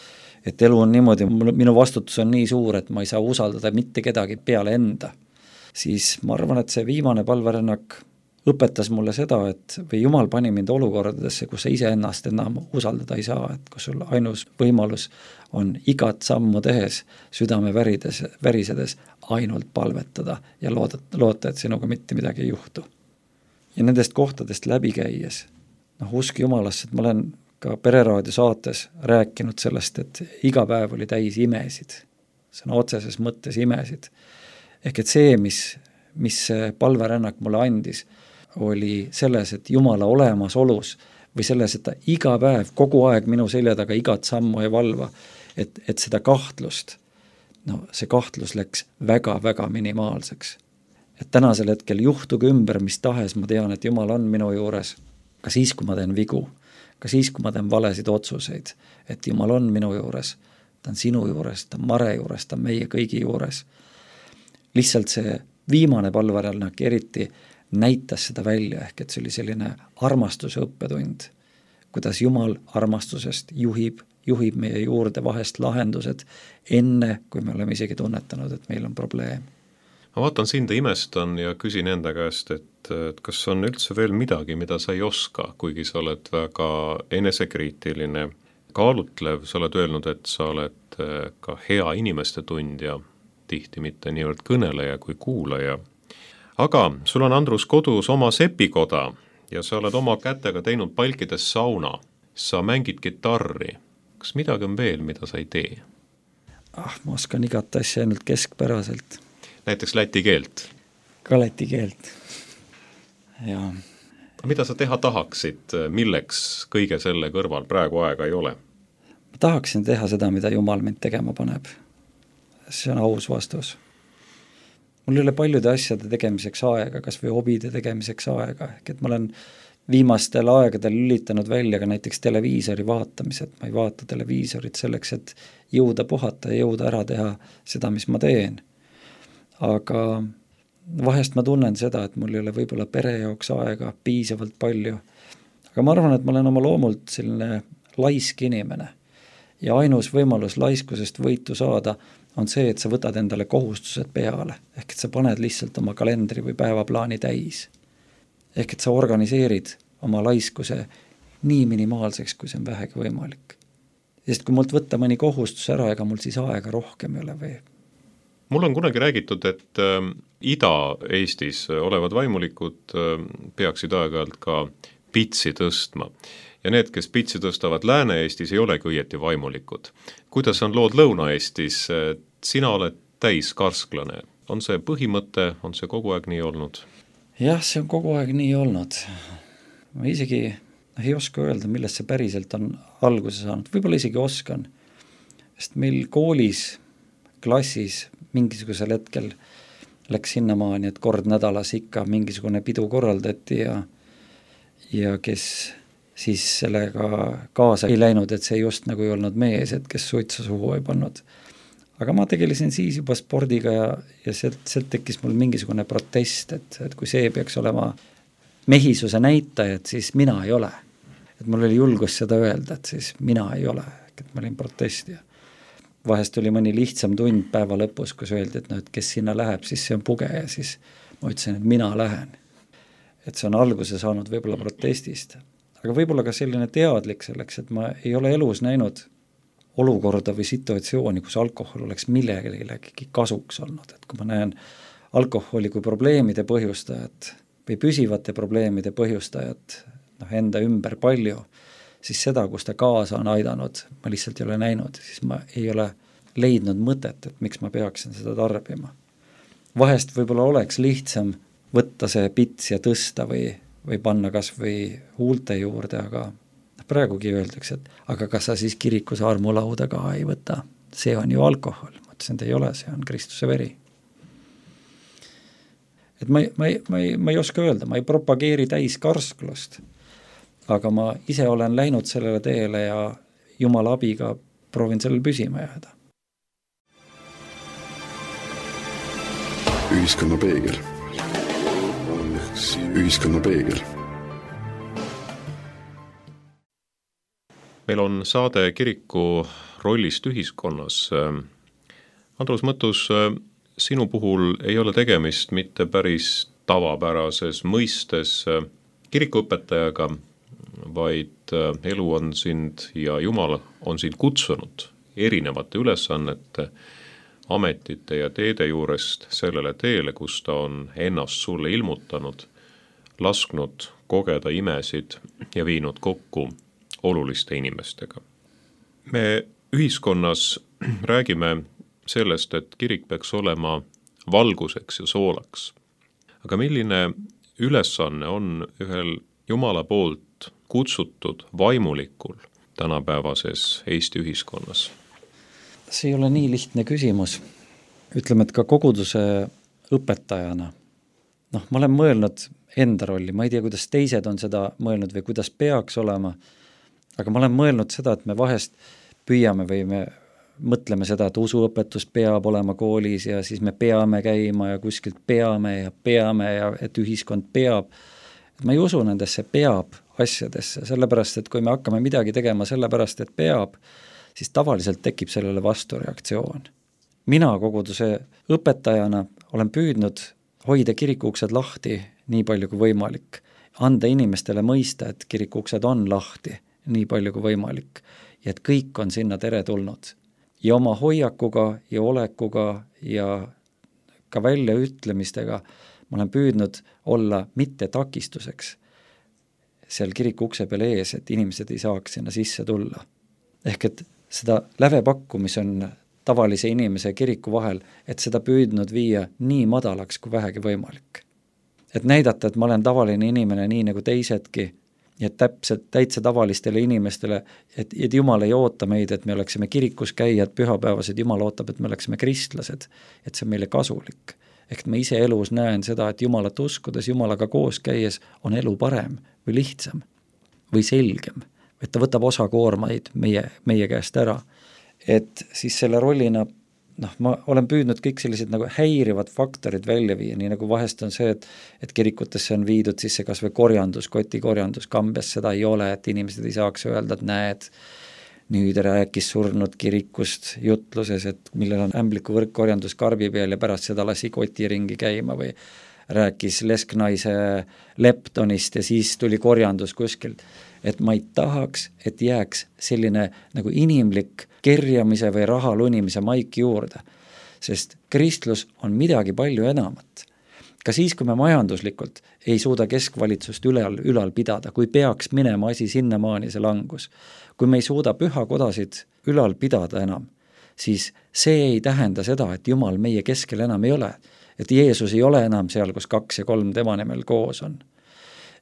[SPEAKER 3] et elu on niimoodi, minu vastutus on nii suur, et ma ei saa usaldada mitte kedagi peale enda, siis ma arvan, et see viimane palverännak õpetas mulle seda, et või Jumal pani mind olukordadesse, kus sa ise ennast enam usaldada ei saa, et kus sul ainus võimalus on igat sammu tehes, südame värides, värisedes ainult palvetada ja loota, loota, et sinuga mitte midagi ei juhtu. Ja nendest kohtadest läbi käies, noh, usk Jumalasse, et ma olen ka Pereraadio saates rääkinud sellest, et iga päev oli täis imesid, sõna otseses mõttes imesid. Ehk et see, mis, mis palverännak mulle andis, oli selles, et Jumala olemasolus või selles, et ta iga päev, kogu aeg minu selja taga igat sammu ei valva, et, et seda kahtlust, no see kahtlus läks väga-väga minimaalseks. et tänasel hetkel juhtuge ümber mis tahes, ma tean, et Jumal on minu juures, ka siis, kui ma teen vigu, ka siis, kui ma teen valesid otsuseid, et Jumal on minu juures, ta on sinu juures, ta on Mare juures, ta on meie kõigi juures. Lihtsalt see viimane palverännak eriti näitas seda välja, ehk et see oli selline armastuse õppetund, kuidas Jumal armastusest juhib, juhib meie juurde vahest lahendused enne, kui me oleme isegi tunnetanud, et meil on probleem.
[SPEAKER 2] Ma vaatan sind ja imestan ja küsin enda käest, et, et kas on üldse veel midagi, mida sa ei oska, kuigi sa oled väga enesekriitiline, kaalutlev, sa oled öelnud, et sa oled ka hea inimeste tundja, tihti mitte niivõrd kõneleja kui kuulaja. Aga sul on, Andrus, kodus oma sepikoda ja sa oled oma kätega teinud palkides sauna. Sa mängid kitarri. Kas midagi on veel, mida sa ei tee?
[SPEAKER 3] Ah, ma oskan igat asja ainult keskpäraselt.
[SPEAKER 2] Näiteks läti keelt?
[SPEAKER 3] Ka läti keelt. Ja.
[SPEAKER 2] Mida sa teha tahaksid, milleks kõige selle kõrval praegu aega ei ole?
[SPEAKER 3] Ma tahaksin teha seda, mida Jumal mind tegema paneb. See on aus vastus. Mul ei ole paljude asjade tegemiseks aega, kas või hobide tegemiseks aega, ehk et ma olen viimastel aegadel lülitanud välja ka näiteks televiisori vaatamised, ma ei vaata televiisorit selleks, et jõuda puhata ja jõuda ära teha seda, mis ma teen. Aga vahest ma tunnen seda, et mul ei ole võib-olla pere jaoks aega piisavalt palju, aga ma arvan, et ma olen oma loomult selline laisk inimene ja ainus võimalus laiskusest võitu saada on see, et sa võtad endale kohustused peale, ehk et sa paned lihtsalt oma kalendri või päevaplaani täis. Ehk et sa organiseerid oma laiskuse nii minimaalseks, kui see on vähegi võimalik. Sest kui mult võtta mõni kohustus ära, ega mul siis aega rohkem ei ole või?
[SPEAKER 2] Mul on kunagi räägitud, et äh, Ida-Eestis olevad vaimulikud äh, peaksid aeg-ajalt ka pitsi tõstma. Ja need, kes pitsi tõstavad Lääne-Eestis, ei olegi õieti vaimulikud. Kuidas on lood Lõuna-Eestis? Sina oled täis karsklane. On see põhimõte, on see kogu aeg nii olnud?
[SPEAKER 3] Jah, see on kogu aeg nii olnud. Ma isegi ei oska öelda, millest see päriselt on alguse saanud. Võib-olla isegi oskan. Sest meil koolis, klassis mingisugusel hetkel läks sinnamaani, et kord nädalas ikka mingisugune pidu korraldati ja, ja kes siis sellega kaasa ei läinud, et see just nagu ei olnud mees, et kes suitsu suhu ei pannud. Aga ma tegelesin siis juba spordiga ja, ja sealt, sealt tekkis mul mingisugune protest, et, et kui see peaks olema mehisuse näitaja, et siis mina ei ole. Et mul oli julgus seda öelda, et siis mina ei ole, et ma olin protestija. Vahest oli mõni lihtsam tund päeva lõpus, kus öeldi, et, no, et kes sinna läheb, siis see on puge ja siis ma ütlesin, et mina lähen. Et see on alguse saanud võib-olla protestist. Aga võib-olla ka selline teadlik selleks, et ma ei ole elus näinud olukorda või situatsiooni, kus alkohol oleks millegagi kasuks olnud. Et kui ma näen alkoholi kui probleemide põhjustajat või püsivate probleemide põhjustajat noh, enda ümber palju, siis seda, kus ta kaasa on aidanud, ma lihtsalt ei ole näinud, siis ma ei ole leidnud mõtet, et miks ma peaksin seda tarbima. Vahest võib-olla oleks lihtsam võtta see pits ja tõsta või, või panna kas või huulte juurde, aga praegugi öeldakse, et aga kas sa siis kirikus armulauda ka ei võta? See on ju alkohol. Ma ütlesin, et ei ole, see on Kristuse veri. Et ma, ma, ma, ma ei oska öelda, ma ei propageeri täis karsklust, aga ma ise olen läinud sellele teele ja Jumala abiga proovin sellel püsima jääda.
[SPEAKER 1] Ühiskonna peegel. Ühiskonna peegel.
[SPEAKER 2] Meil on saade kiriku rollist ühiskonnas. Andrus Mõttus, sinu puhul ei ole tegemist mitte päris tavapärases mõistes kirikuõpetajaga, vaid elu on sind ja Jumal on sind kutsunud erinevate ülesannete, ametite ja teede juurest sellele teele, kus ta on ennast sulle ilmutanud, lasknud kogeda imesid ja viinud kokku oluliste inimestega. Me ühiskonnas räägime sellest, et kirik peaks olema valguseks ja soolaks. Aga milline ülesanne on ühel Jumala poolt kutsutud vaimulikul tänapäevases Eesti ühiskonnas?
[SPEAKER 3] See ei ole nii lihtne küsimus. Ütleme, et ka koguduse õpetajana noh, ma olen mõelnud enda rolli, ma ei tea, kuidas teised on seda mõelnud või kuidas peaks olema, aga ma olen mõelnud seda, et me vahest püüame või me mõtleme seda, et usuõpetus peab olema koolis ja siis me peame käima ja kuskilt peame ja peame ja et ühiskond peab. Et ma ei usu nendesse peab asjadesse, sellepärast, et kui me hakkame midagi tegema sellepärast, et peab, siis tavaliselt tekib sellele vastureaktsioon. Mina koguduse õpetajana olen püüdnud hoida kirikuuksed lahti nii palju kui võimalik, anda inimestele mõista, et kirikuuksed on lahti nii palju kui võimalik ja et kõik on sinna teretulnud. Ja oma hoiakuga ja olekuga ja ka väljaütlemistega ma olen püüdnud olla mitte takistuseks seal kiriku ukse peal ees, et inimesed ei saaks sinna sisse tulla. Ehk et seda lävepakku, mis on tavalise inimese ja kiriku vahel, et seda püüdnud viia nii madalaks kui vähegi võimalik. Et näidata, et ma olen tavaline inimene nii nagu teisedki, ja täpselt täitsa tavalistele inimestele, et, et Jumal ei oota meid, et me oleksime kirikus käijad pühapäevased, Jumal ootab, et me oleksime kristlased, et see on meile kasulik. Ehk ma ise elus näen seda, et Jumalat uskudes, Jumalaga koos käies on elu parem või lihtsam või selgem, et ta võtab osa koormaid meie, meie käest ära. Et siis selle rollina, noh, ma olen püüdnud kõik sellised nagu häirivad faktorid välja viia, nii nagu vahest on see, et, et kirikutesse on viidud sisse kas või korjandus, kotikorjandus, Kambjas seda ei ole, et inimesed ei saaks öelda, et näed, nüüd rääkis surnud kirikust jutluses, et millel on ämbliku võrkkorjandus karbi peal ja pärast seda lasi koti ringi käima või rääkis lesknaise leptonist ja siis tuli korjandus kuskilt. Et ma ei tahaks, et jääks selline nagu inimlik kerjamise või raha lunimise maik juurde, sest kristlus on midagi palju enamat. Ka siis, kui me majanduslikult ei suuda keskvalitsust ülal, ülal pidada, kui peaks minema asi sinnamaani see langus, kui me ei suuda pühakodasid ülal pidada enam, siis see ei tähenda seda, et Jumal meie keskel enam ei ole, et Jeesus ei ole enam seal, kus kaks ja kolm tema nimel koos on.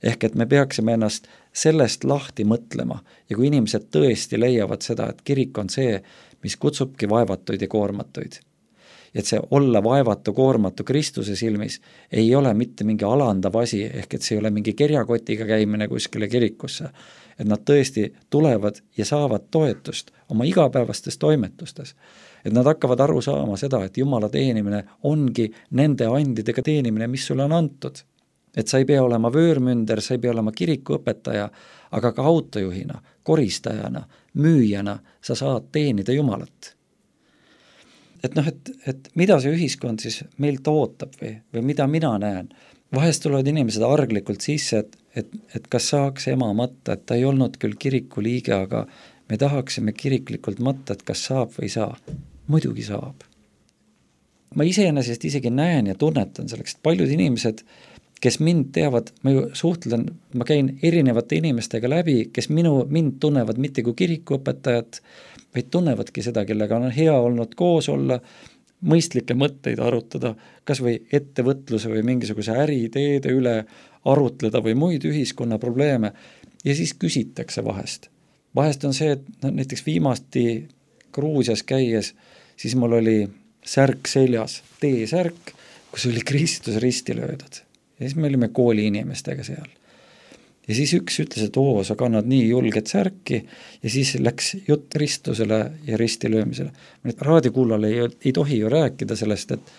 [SPEAKER 3] Ehk et me peaksime ennast sellest lahti mõtlema ja kui inimesed tõesti leiavad seda, et kirik on see, mis kutsubki vaevatuid ja koormatuid, et see olla vaevatu, koormatu Kristuse silmis ei ole mitte mingi alandav asi, ehk et see ei ole mingi kerjakotiga käimine kuskile kirikusse, et nad tõesti tulevad ja saavad toetust oma igapäevastes toimetustes, et nad hakkavad aru saama seda, et Jumala teenimine ongi nende andidega teenimine, mis sulle on antud. Et sa ei pea olema vöörmünder, sa ei pea olema kirikuõpetaja, aga ka autojuhina, koristajana, müüjana sa saad teenida Jumalat. Et noh, et, et mida see ühiskond siis meilt ootab või, või mida mina näen? Vahest tulevad inimesed arglikult sisse, et, et, et kas saaks ema matta, et ta ei olnud küll kiriku liige, aga me tahaksime kiriklikult matta, et kas saab või ei saa. Muidugi saab. Ma iseenesest isegi näen ja tunnetan selleks, et paljud inimesed, kes mind teavad, ma ju suhtlen, ma käin erinevate inimestega läbi, kes minu, mind tunnevad mitte kui kirikuõpetajat, vaid tunnevadki seda, kellega on hea olnud koos olla, mõistlikke mõtteid arutada, kas või ettevõtluse või mingisuguse äriideede üle arutleda või muid ühiskonna probleeme ja siis küsitakse vahest. Vahest on see, et no, näiteks viimasti Gruusias käies, siis mul oli särk seljas, T-särk, kus oli Kristus risti löödud. Ja siis me olime kooli inimestega seal. Ja siis üks ütles, et oo, sa kannad nii julget särki ja siis läks jutt ristusele ja risti löömisele. Raadiokuulale ei, ei tohi ju rääkida sellest, et,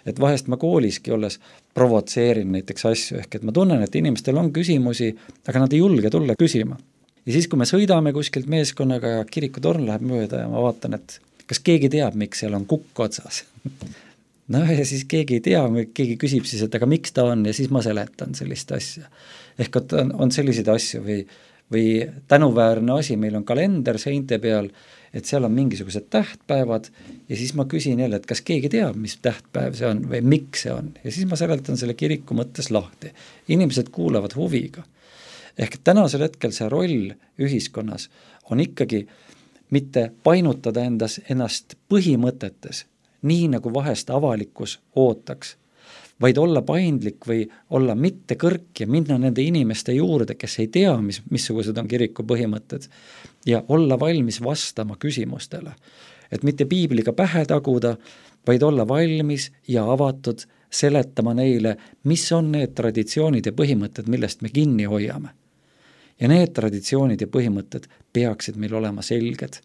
[SPEAKER 3] et vahest ma kooliski olles provotseerin näiteks asju, ehk et ma tunnen, et inimestel on küsimusi, aga nad ei julge tulla küsima. Ja siis, kui me sõidame kuskilt meeskonnaga ja kirikutorn läheb mööda ja ma vaatan, et kas keegi teab, miks seal on kukk otsas. No ja siis keegi ei tea, keegi küsib siis, et aga miks ta on ja siis ma seletan sellist asja. Ehk et on, on selliseid asju või, või tänuväärne asi, meil on kalender seinte peal, et seal on mingisugused tähtpäevad ja siis ma küsin jälle, et kas keegi teab, mis tähtpäev see on või miks see on ja siis ma seletan selle kiriku mõttes lahti. Inimesed kuulavad huviga. Ehk tänasel hetkel see roll ühiskonnas on ikkagi mitte painutada endas, ennast põhimõtetes, nii nagu vahest avalikkus ootaks, vaid olla paindlik või olla mitte kõrk ja minna nende inimeste juurde, kes ei tea, mis, missugused on kiriku põhimõtted ja olla valmis vastama küsimustele. Et mitte piibliga pähe taguda, vaid olla valmis ja avatud seletama neile, mis on need traditsioonid ja põhimõtted, millest me kinni hoiame. Ja need traditsioonid ja põhimõtted peaksid meil olema selged.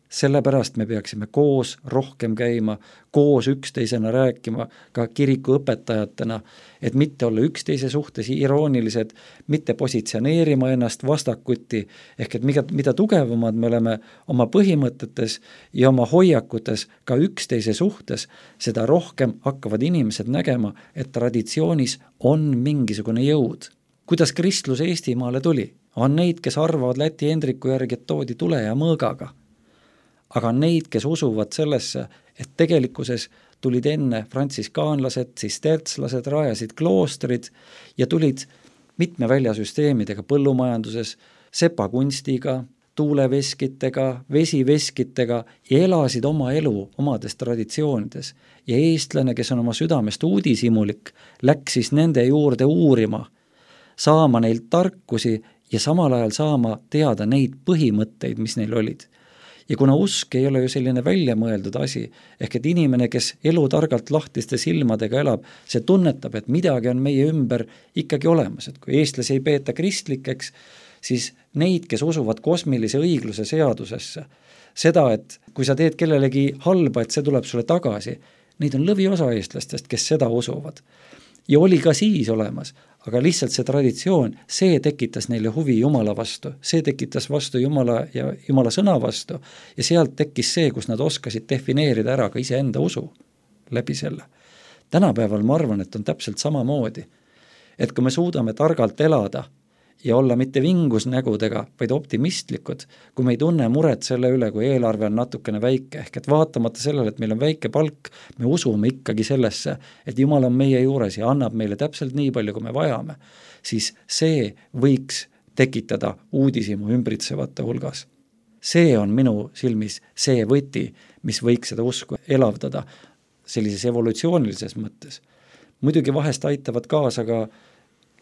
[SPEAKER 3] Sellepärast me peaksime koos rohkem käima, koos üksteisena rääkima, ka kiriku õpetajatena, et mitte olla üksteise suhtes iroonilised, mitte positsioneerima ennast vastakuti, ehk et mida, mida tugevamad me oleme oma põhimõtetes ja oma hoiakutes ka üksteise suhtes, seda rohkem hakkavad inimesed nägema, et traditsioonis on mingisugune jõud. Kuidas kristlus Eestimaale tuli? On neid, kes arvavad Läti Hendriku järgi, et toodi tule ja mõõgaga. Aga on neid, kes usuvad sellesse, et tegelikkuses tulid enne frantsiskaanlased, sistertslased, rajasid kloostrid ja tulid mitme väljasüsteemidega põllumajanduses, sepakunstiga, tuuleveskitega, vesiveskitega ja elasid oma elu omades traditsioonides. Ja eestlane, kes on oma südamest uudishimulik, läks siis nende juurde uurima, saama neilt tarkusi ja samal ajal saama teada neid põhimõtteid, mis neil olid. Ja kuna usk ei ole ju selline väljamõeldud asi, ehk et inimene, kes elu targalt lahtiste silmadega elab, see tunnetab, et midagi on meie ümber ikkagi olemas, et kui eestlasi ei peeta kristlikeks, siis neid, kes usuvad kosmilise õigluse seadusesse, seda, et kui sa teed kellelegi halba, et see tuleb sulle tagasi, neid on lõviosa eestlastest, kes seda usuvad. Ja oli ka siis olemas, aga lihtsalt see traditsioon, see tekitas neile huvi Jumala vastu, see tekitas vastu Jumala ja Jumala sõna vastu ja sealt tekkis see, kus nad oskasid defineerida ära ka iseenda usu läbi selle. Tänapäeval ma arvan, et on täpselt samamoodi, et kui me suudame targalt elada ja olla mitte vingusnägudega, vaid optimistlikud, kui me ei tunne muret selle üle, kui eelarve on natukene väike, ehk et vaatamata sellele, et meil on väike palk, me usume ikkagi sellesse, et Jumal on meie juures ja annab meile täpselt nii palju, kui me vajame, siis see võiks tekitada uudishimu ümbritsevate hulgas. See on minu silmis see võti, mis võiks seda usku elavdada sellises evolutsioonilises mõttes. Muidugi vahest aitavad kaasa ka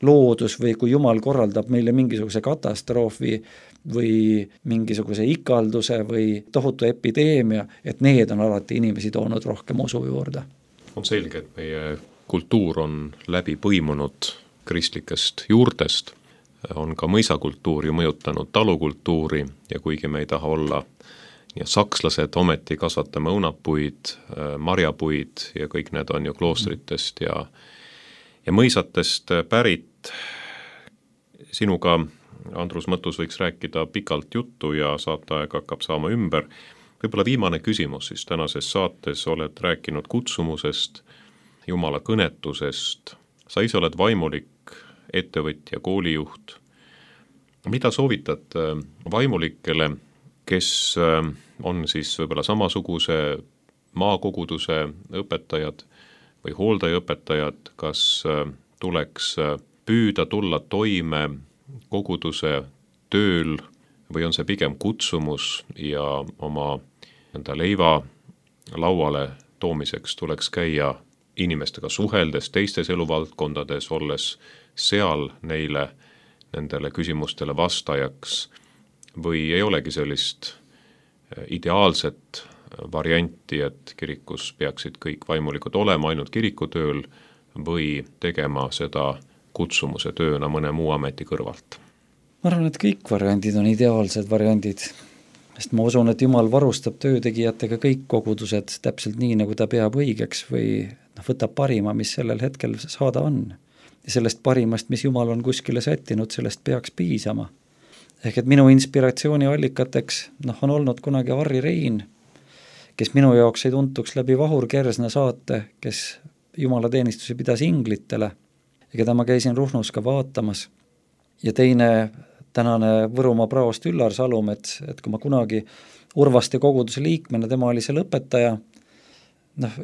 [SPEAKER 3] loodus või kui Jumal korraldab meile mingisuguse katastroofi või mingisuguse ikalduse või tohutu epideemia, et need on alati inimesi toonud rohkem usu juurde.
[SPEAKER 2] On selge, et meie kultuur on läbi põimunud kristlikest juurtest, on ka mõisakultuuri mõjutanud talukultuuri ja kuigi me ei taha olla ja sakslased ometi kasvatame õunapuid, marjapuid ja kõik need on ju kloostritest ja ja mõisatest pärit. Sinuga, Andrus Mõttus, võiks rääkida pikalt juttu ja saateaeg hakkab saama ümber. Võib-olla viimane küsimus siis tänases saates, oled rääkinud kutsumusest, Jumala kõnetusest, sa ise oled vaimulik, ettevõtja, koolijuht. Mida soovitad vaimulikele, kes on siis võib-olla samasuguse maakoguduse õpetajad või hooldajaõpetajad, kas tuleks püüda tulla toime koguduse tööl või on see pigem kutsumus ja oma enda leiva lauale toomiseks tuleks käia inimestega suheldes, teistes eluvaldkondades, olles seal neile nendele küsimustele vastajaks või ei olegi sellist ideaalset varianti, et kirikus peaksid kõik vaimulikud olema ainult kirikutööl või tegema seda kutsumuse tööna mõne muu ameti kõrvalt?
[SPEAKER 3] Ma arvan, et kõik variandid on ideaalsed variandid, sest ma usun, et Jumal varustab töötegijatega kõik kogudused täpselt nii, nagu ta peab õigeks või noh, võtab parima, mis sellel hetkel saada on. Ja sellest parimast, mis Jumal on kuskile sättinud, sellest peaks piisama. Ehk et minu inspiratsiooni allikateks noh, on olnud kunagi Harri Rein, kes minu jaoks ei tuntuks läbi Vahur Kersna saate, kes jumalateenistusi pidas inglitele ja keda ma käisin Ruhnus ka vaatamas. Ja teine tänane Võrumaa praost Üllar Salum, et, et kui ma kunagi Urvaste koguduse liikmena, tema oli seal õpetaja, noh,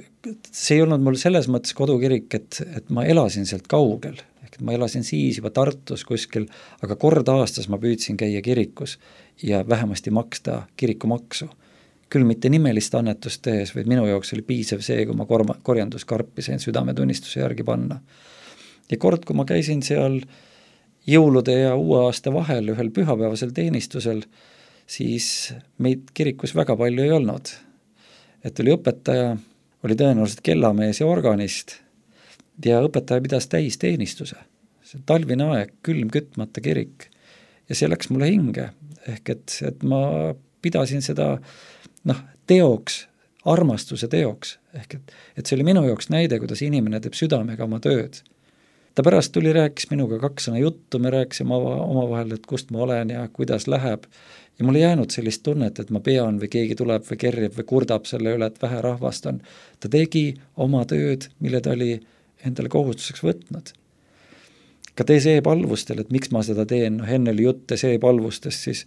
[SPEAKER 3] see ei olnud mul selles mõttes kodukirik, et, et ma elasin sealt kaugel, ehk ma elasin siis juba Tartus kuskil, aga kord aastas ma püüdsin käia kirikus ja vähemasti maksta kirikumaksu. Küll mitte nimelist annetust tehes, vaid minu jaoks oli piisav see, kui ma korma, korjanduskarpi sain südametunnistuse järgi panna. Ja kord, kui ma käisin seal jõulude ja uue aasta vahel ühel pühapäevasel teenistusel, siis meid kirikus väga palju ei olnud. Et oli õpetaja, oli tõenäoliselt kellamees ja organist ja õpetaja pidas täisteenistuse. See talvine aeg, külm kütmata kirik ja see läks mulle hinge, ehk et, et ma pidasin seda noh, teoks, armastuse teoks, ehk et, et see oli minu jaoks näide, kuidas inimene teeb südamega oma tööd. Ta pärast tuli, rääkis minuga kaks sõna juttu, me rääkisime omavahel, et kust ma olen ja kuidas läheb ja mul ei jäänud sellist tunnet, et ma pean või keegi tuleb või kerjab või kurdab selle üle, et vähe rahvast on. Ta tegi oma tööd, mille ta oli endale kohustuseks võtnud. Ka teeseepalvustel, et miks ma seda teen, noh enne oli jutt teeseepalvustest, siis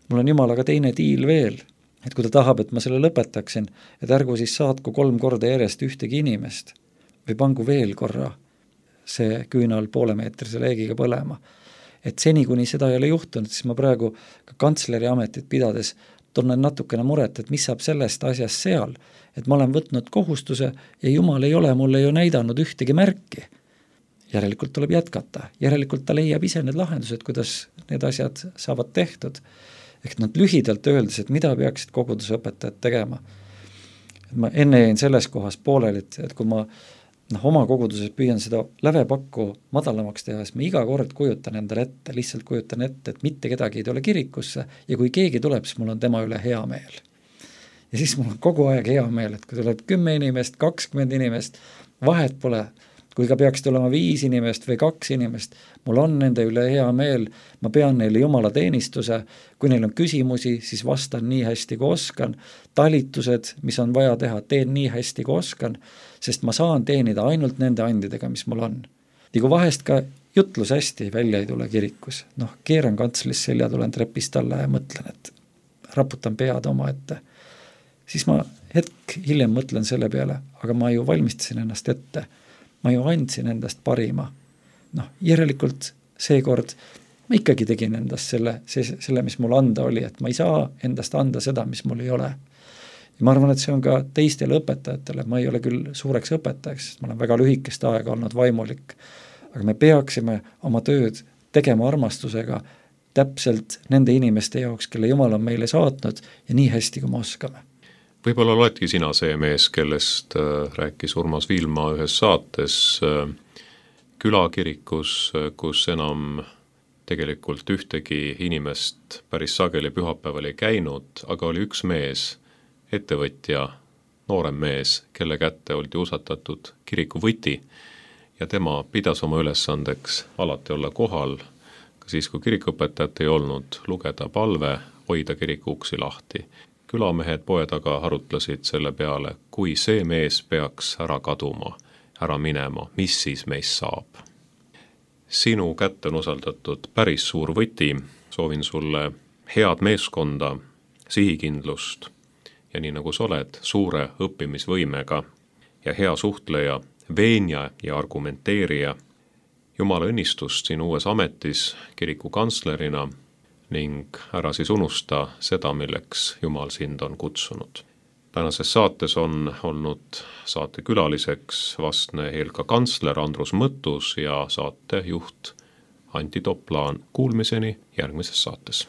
[SPEAKER 3] mul on jumalaga teine diil veel, et kui ta tahab, et ma selle lõpetaksin, et ärgu siis saatku kolm korda järjest ühtegi inimest või pangu veel korra see küünal poolemeetrise leegiga põlema. Et seni, kuni seda ei ole juhtunud, siis ma praegu ka kantsleri ametit pidades tunnen natukene muret, et mis saab sellest asjast seal, et ma olen võtnud kohustuse ja Jumal ei ole mulle ju näidanud ühtegi märki. Järelikult tuleb jätkata, järelikult ta leiab ise need lahendused, kuidas need asjad saavad tehtud. Ehk nad lühidalt öeldes, et mida peaksid kogudusõpetajad tegema. Et ma enne jäin selles kohas pooleli, et, et kui ma noh, oma koguduses püüan seda lävepakku madalamaks teha, siis ma iga kord kujutan endale ette, lihtsalt kujutan ette, et mitte kedagi ei tule kirikusse ja kui keegi tuleb, siis mul on tema üle hea meel. Ja siis mul on kogu aeg hea meel, et kui tuleb kümme inimest, kakskümmend inimest, vahet pole, kui ka peaks tulema viis inimest või kaks inimest, mul on nende üle hea meel, ma pean neile Jumala teenistuse, kui neil on küsimusi, siis vastan nii hästi, kui oskan, talitused, mis on vaja teha, teen nii hästi, kui oskan, sest ma saan teenida ainult nende andidega, mis mul on. Ja kui vahest ka jutlus hästi välja ei tule kirikus, noh, keeran kantslis selja, tulen trepist alla ja mõtlen, et raputan pead oma ette, siis ma hetk hiljem mõtlen selle peale, aga ma ju valmistasin ennast ette, ma ju andsin endast parima. Noh, järelikult seekord ma ikkagi tegin endast selle, see, selle, mis mul anda oli, et ma ei saa endast anda seda, mis mul ei ole. Ja ma arvan, et see on ka teistele õpetajatele, ma ei ole küll suureks õpetajaks, sest ma olen väga lühikest aega olnud vaimulik, aga me peaksime oma tööd tegema armastusega täpselt nende inimeste jaoks, kelle Jumal on meile saatnud ja nii hästi, kui me oskame.
[SPEAKER 2] Võib-olla oledki sina see mees, kellest rääkis Urmas Viilma ühes saates külakirikus, kus enam tegelikult ühtegi inimest päris sageli pühapäeval ei käinud, aga oli üks mees, ettevõtja, noorem mees, kelle kätte oldi usatatud kiriku võti ja tema pidas oma ülesandeks alati olla kohal, ka siis, kui kirikuõpetajat ei olnud, lugeda palve, hoida kiriku uksi lahti. Külamehed poed aga arutlesid selle peale, kui see mees peaks ära kaduma, ära minema, mis siis meist saab. Sinu kätte on usaldatud päris suur võti, soovin sulle head meeskonda, sihikindlust ja nii nagu sa oled, suure õppimisvõimega ja hea suhtleja, veenja ja argumenteerija. Jumala õnnistust sinu uues ametis kiriku kantslerina ning ära siis unusta seda, milleks Jumal sind on kutsunud. Tänases saates on olnud saate külaliseks vastne Eelka kantsler Andrus Mõttus ja saatejuht Anti Toplaan. Kuulmiseni järgmises saates.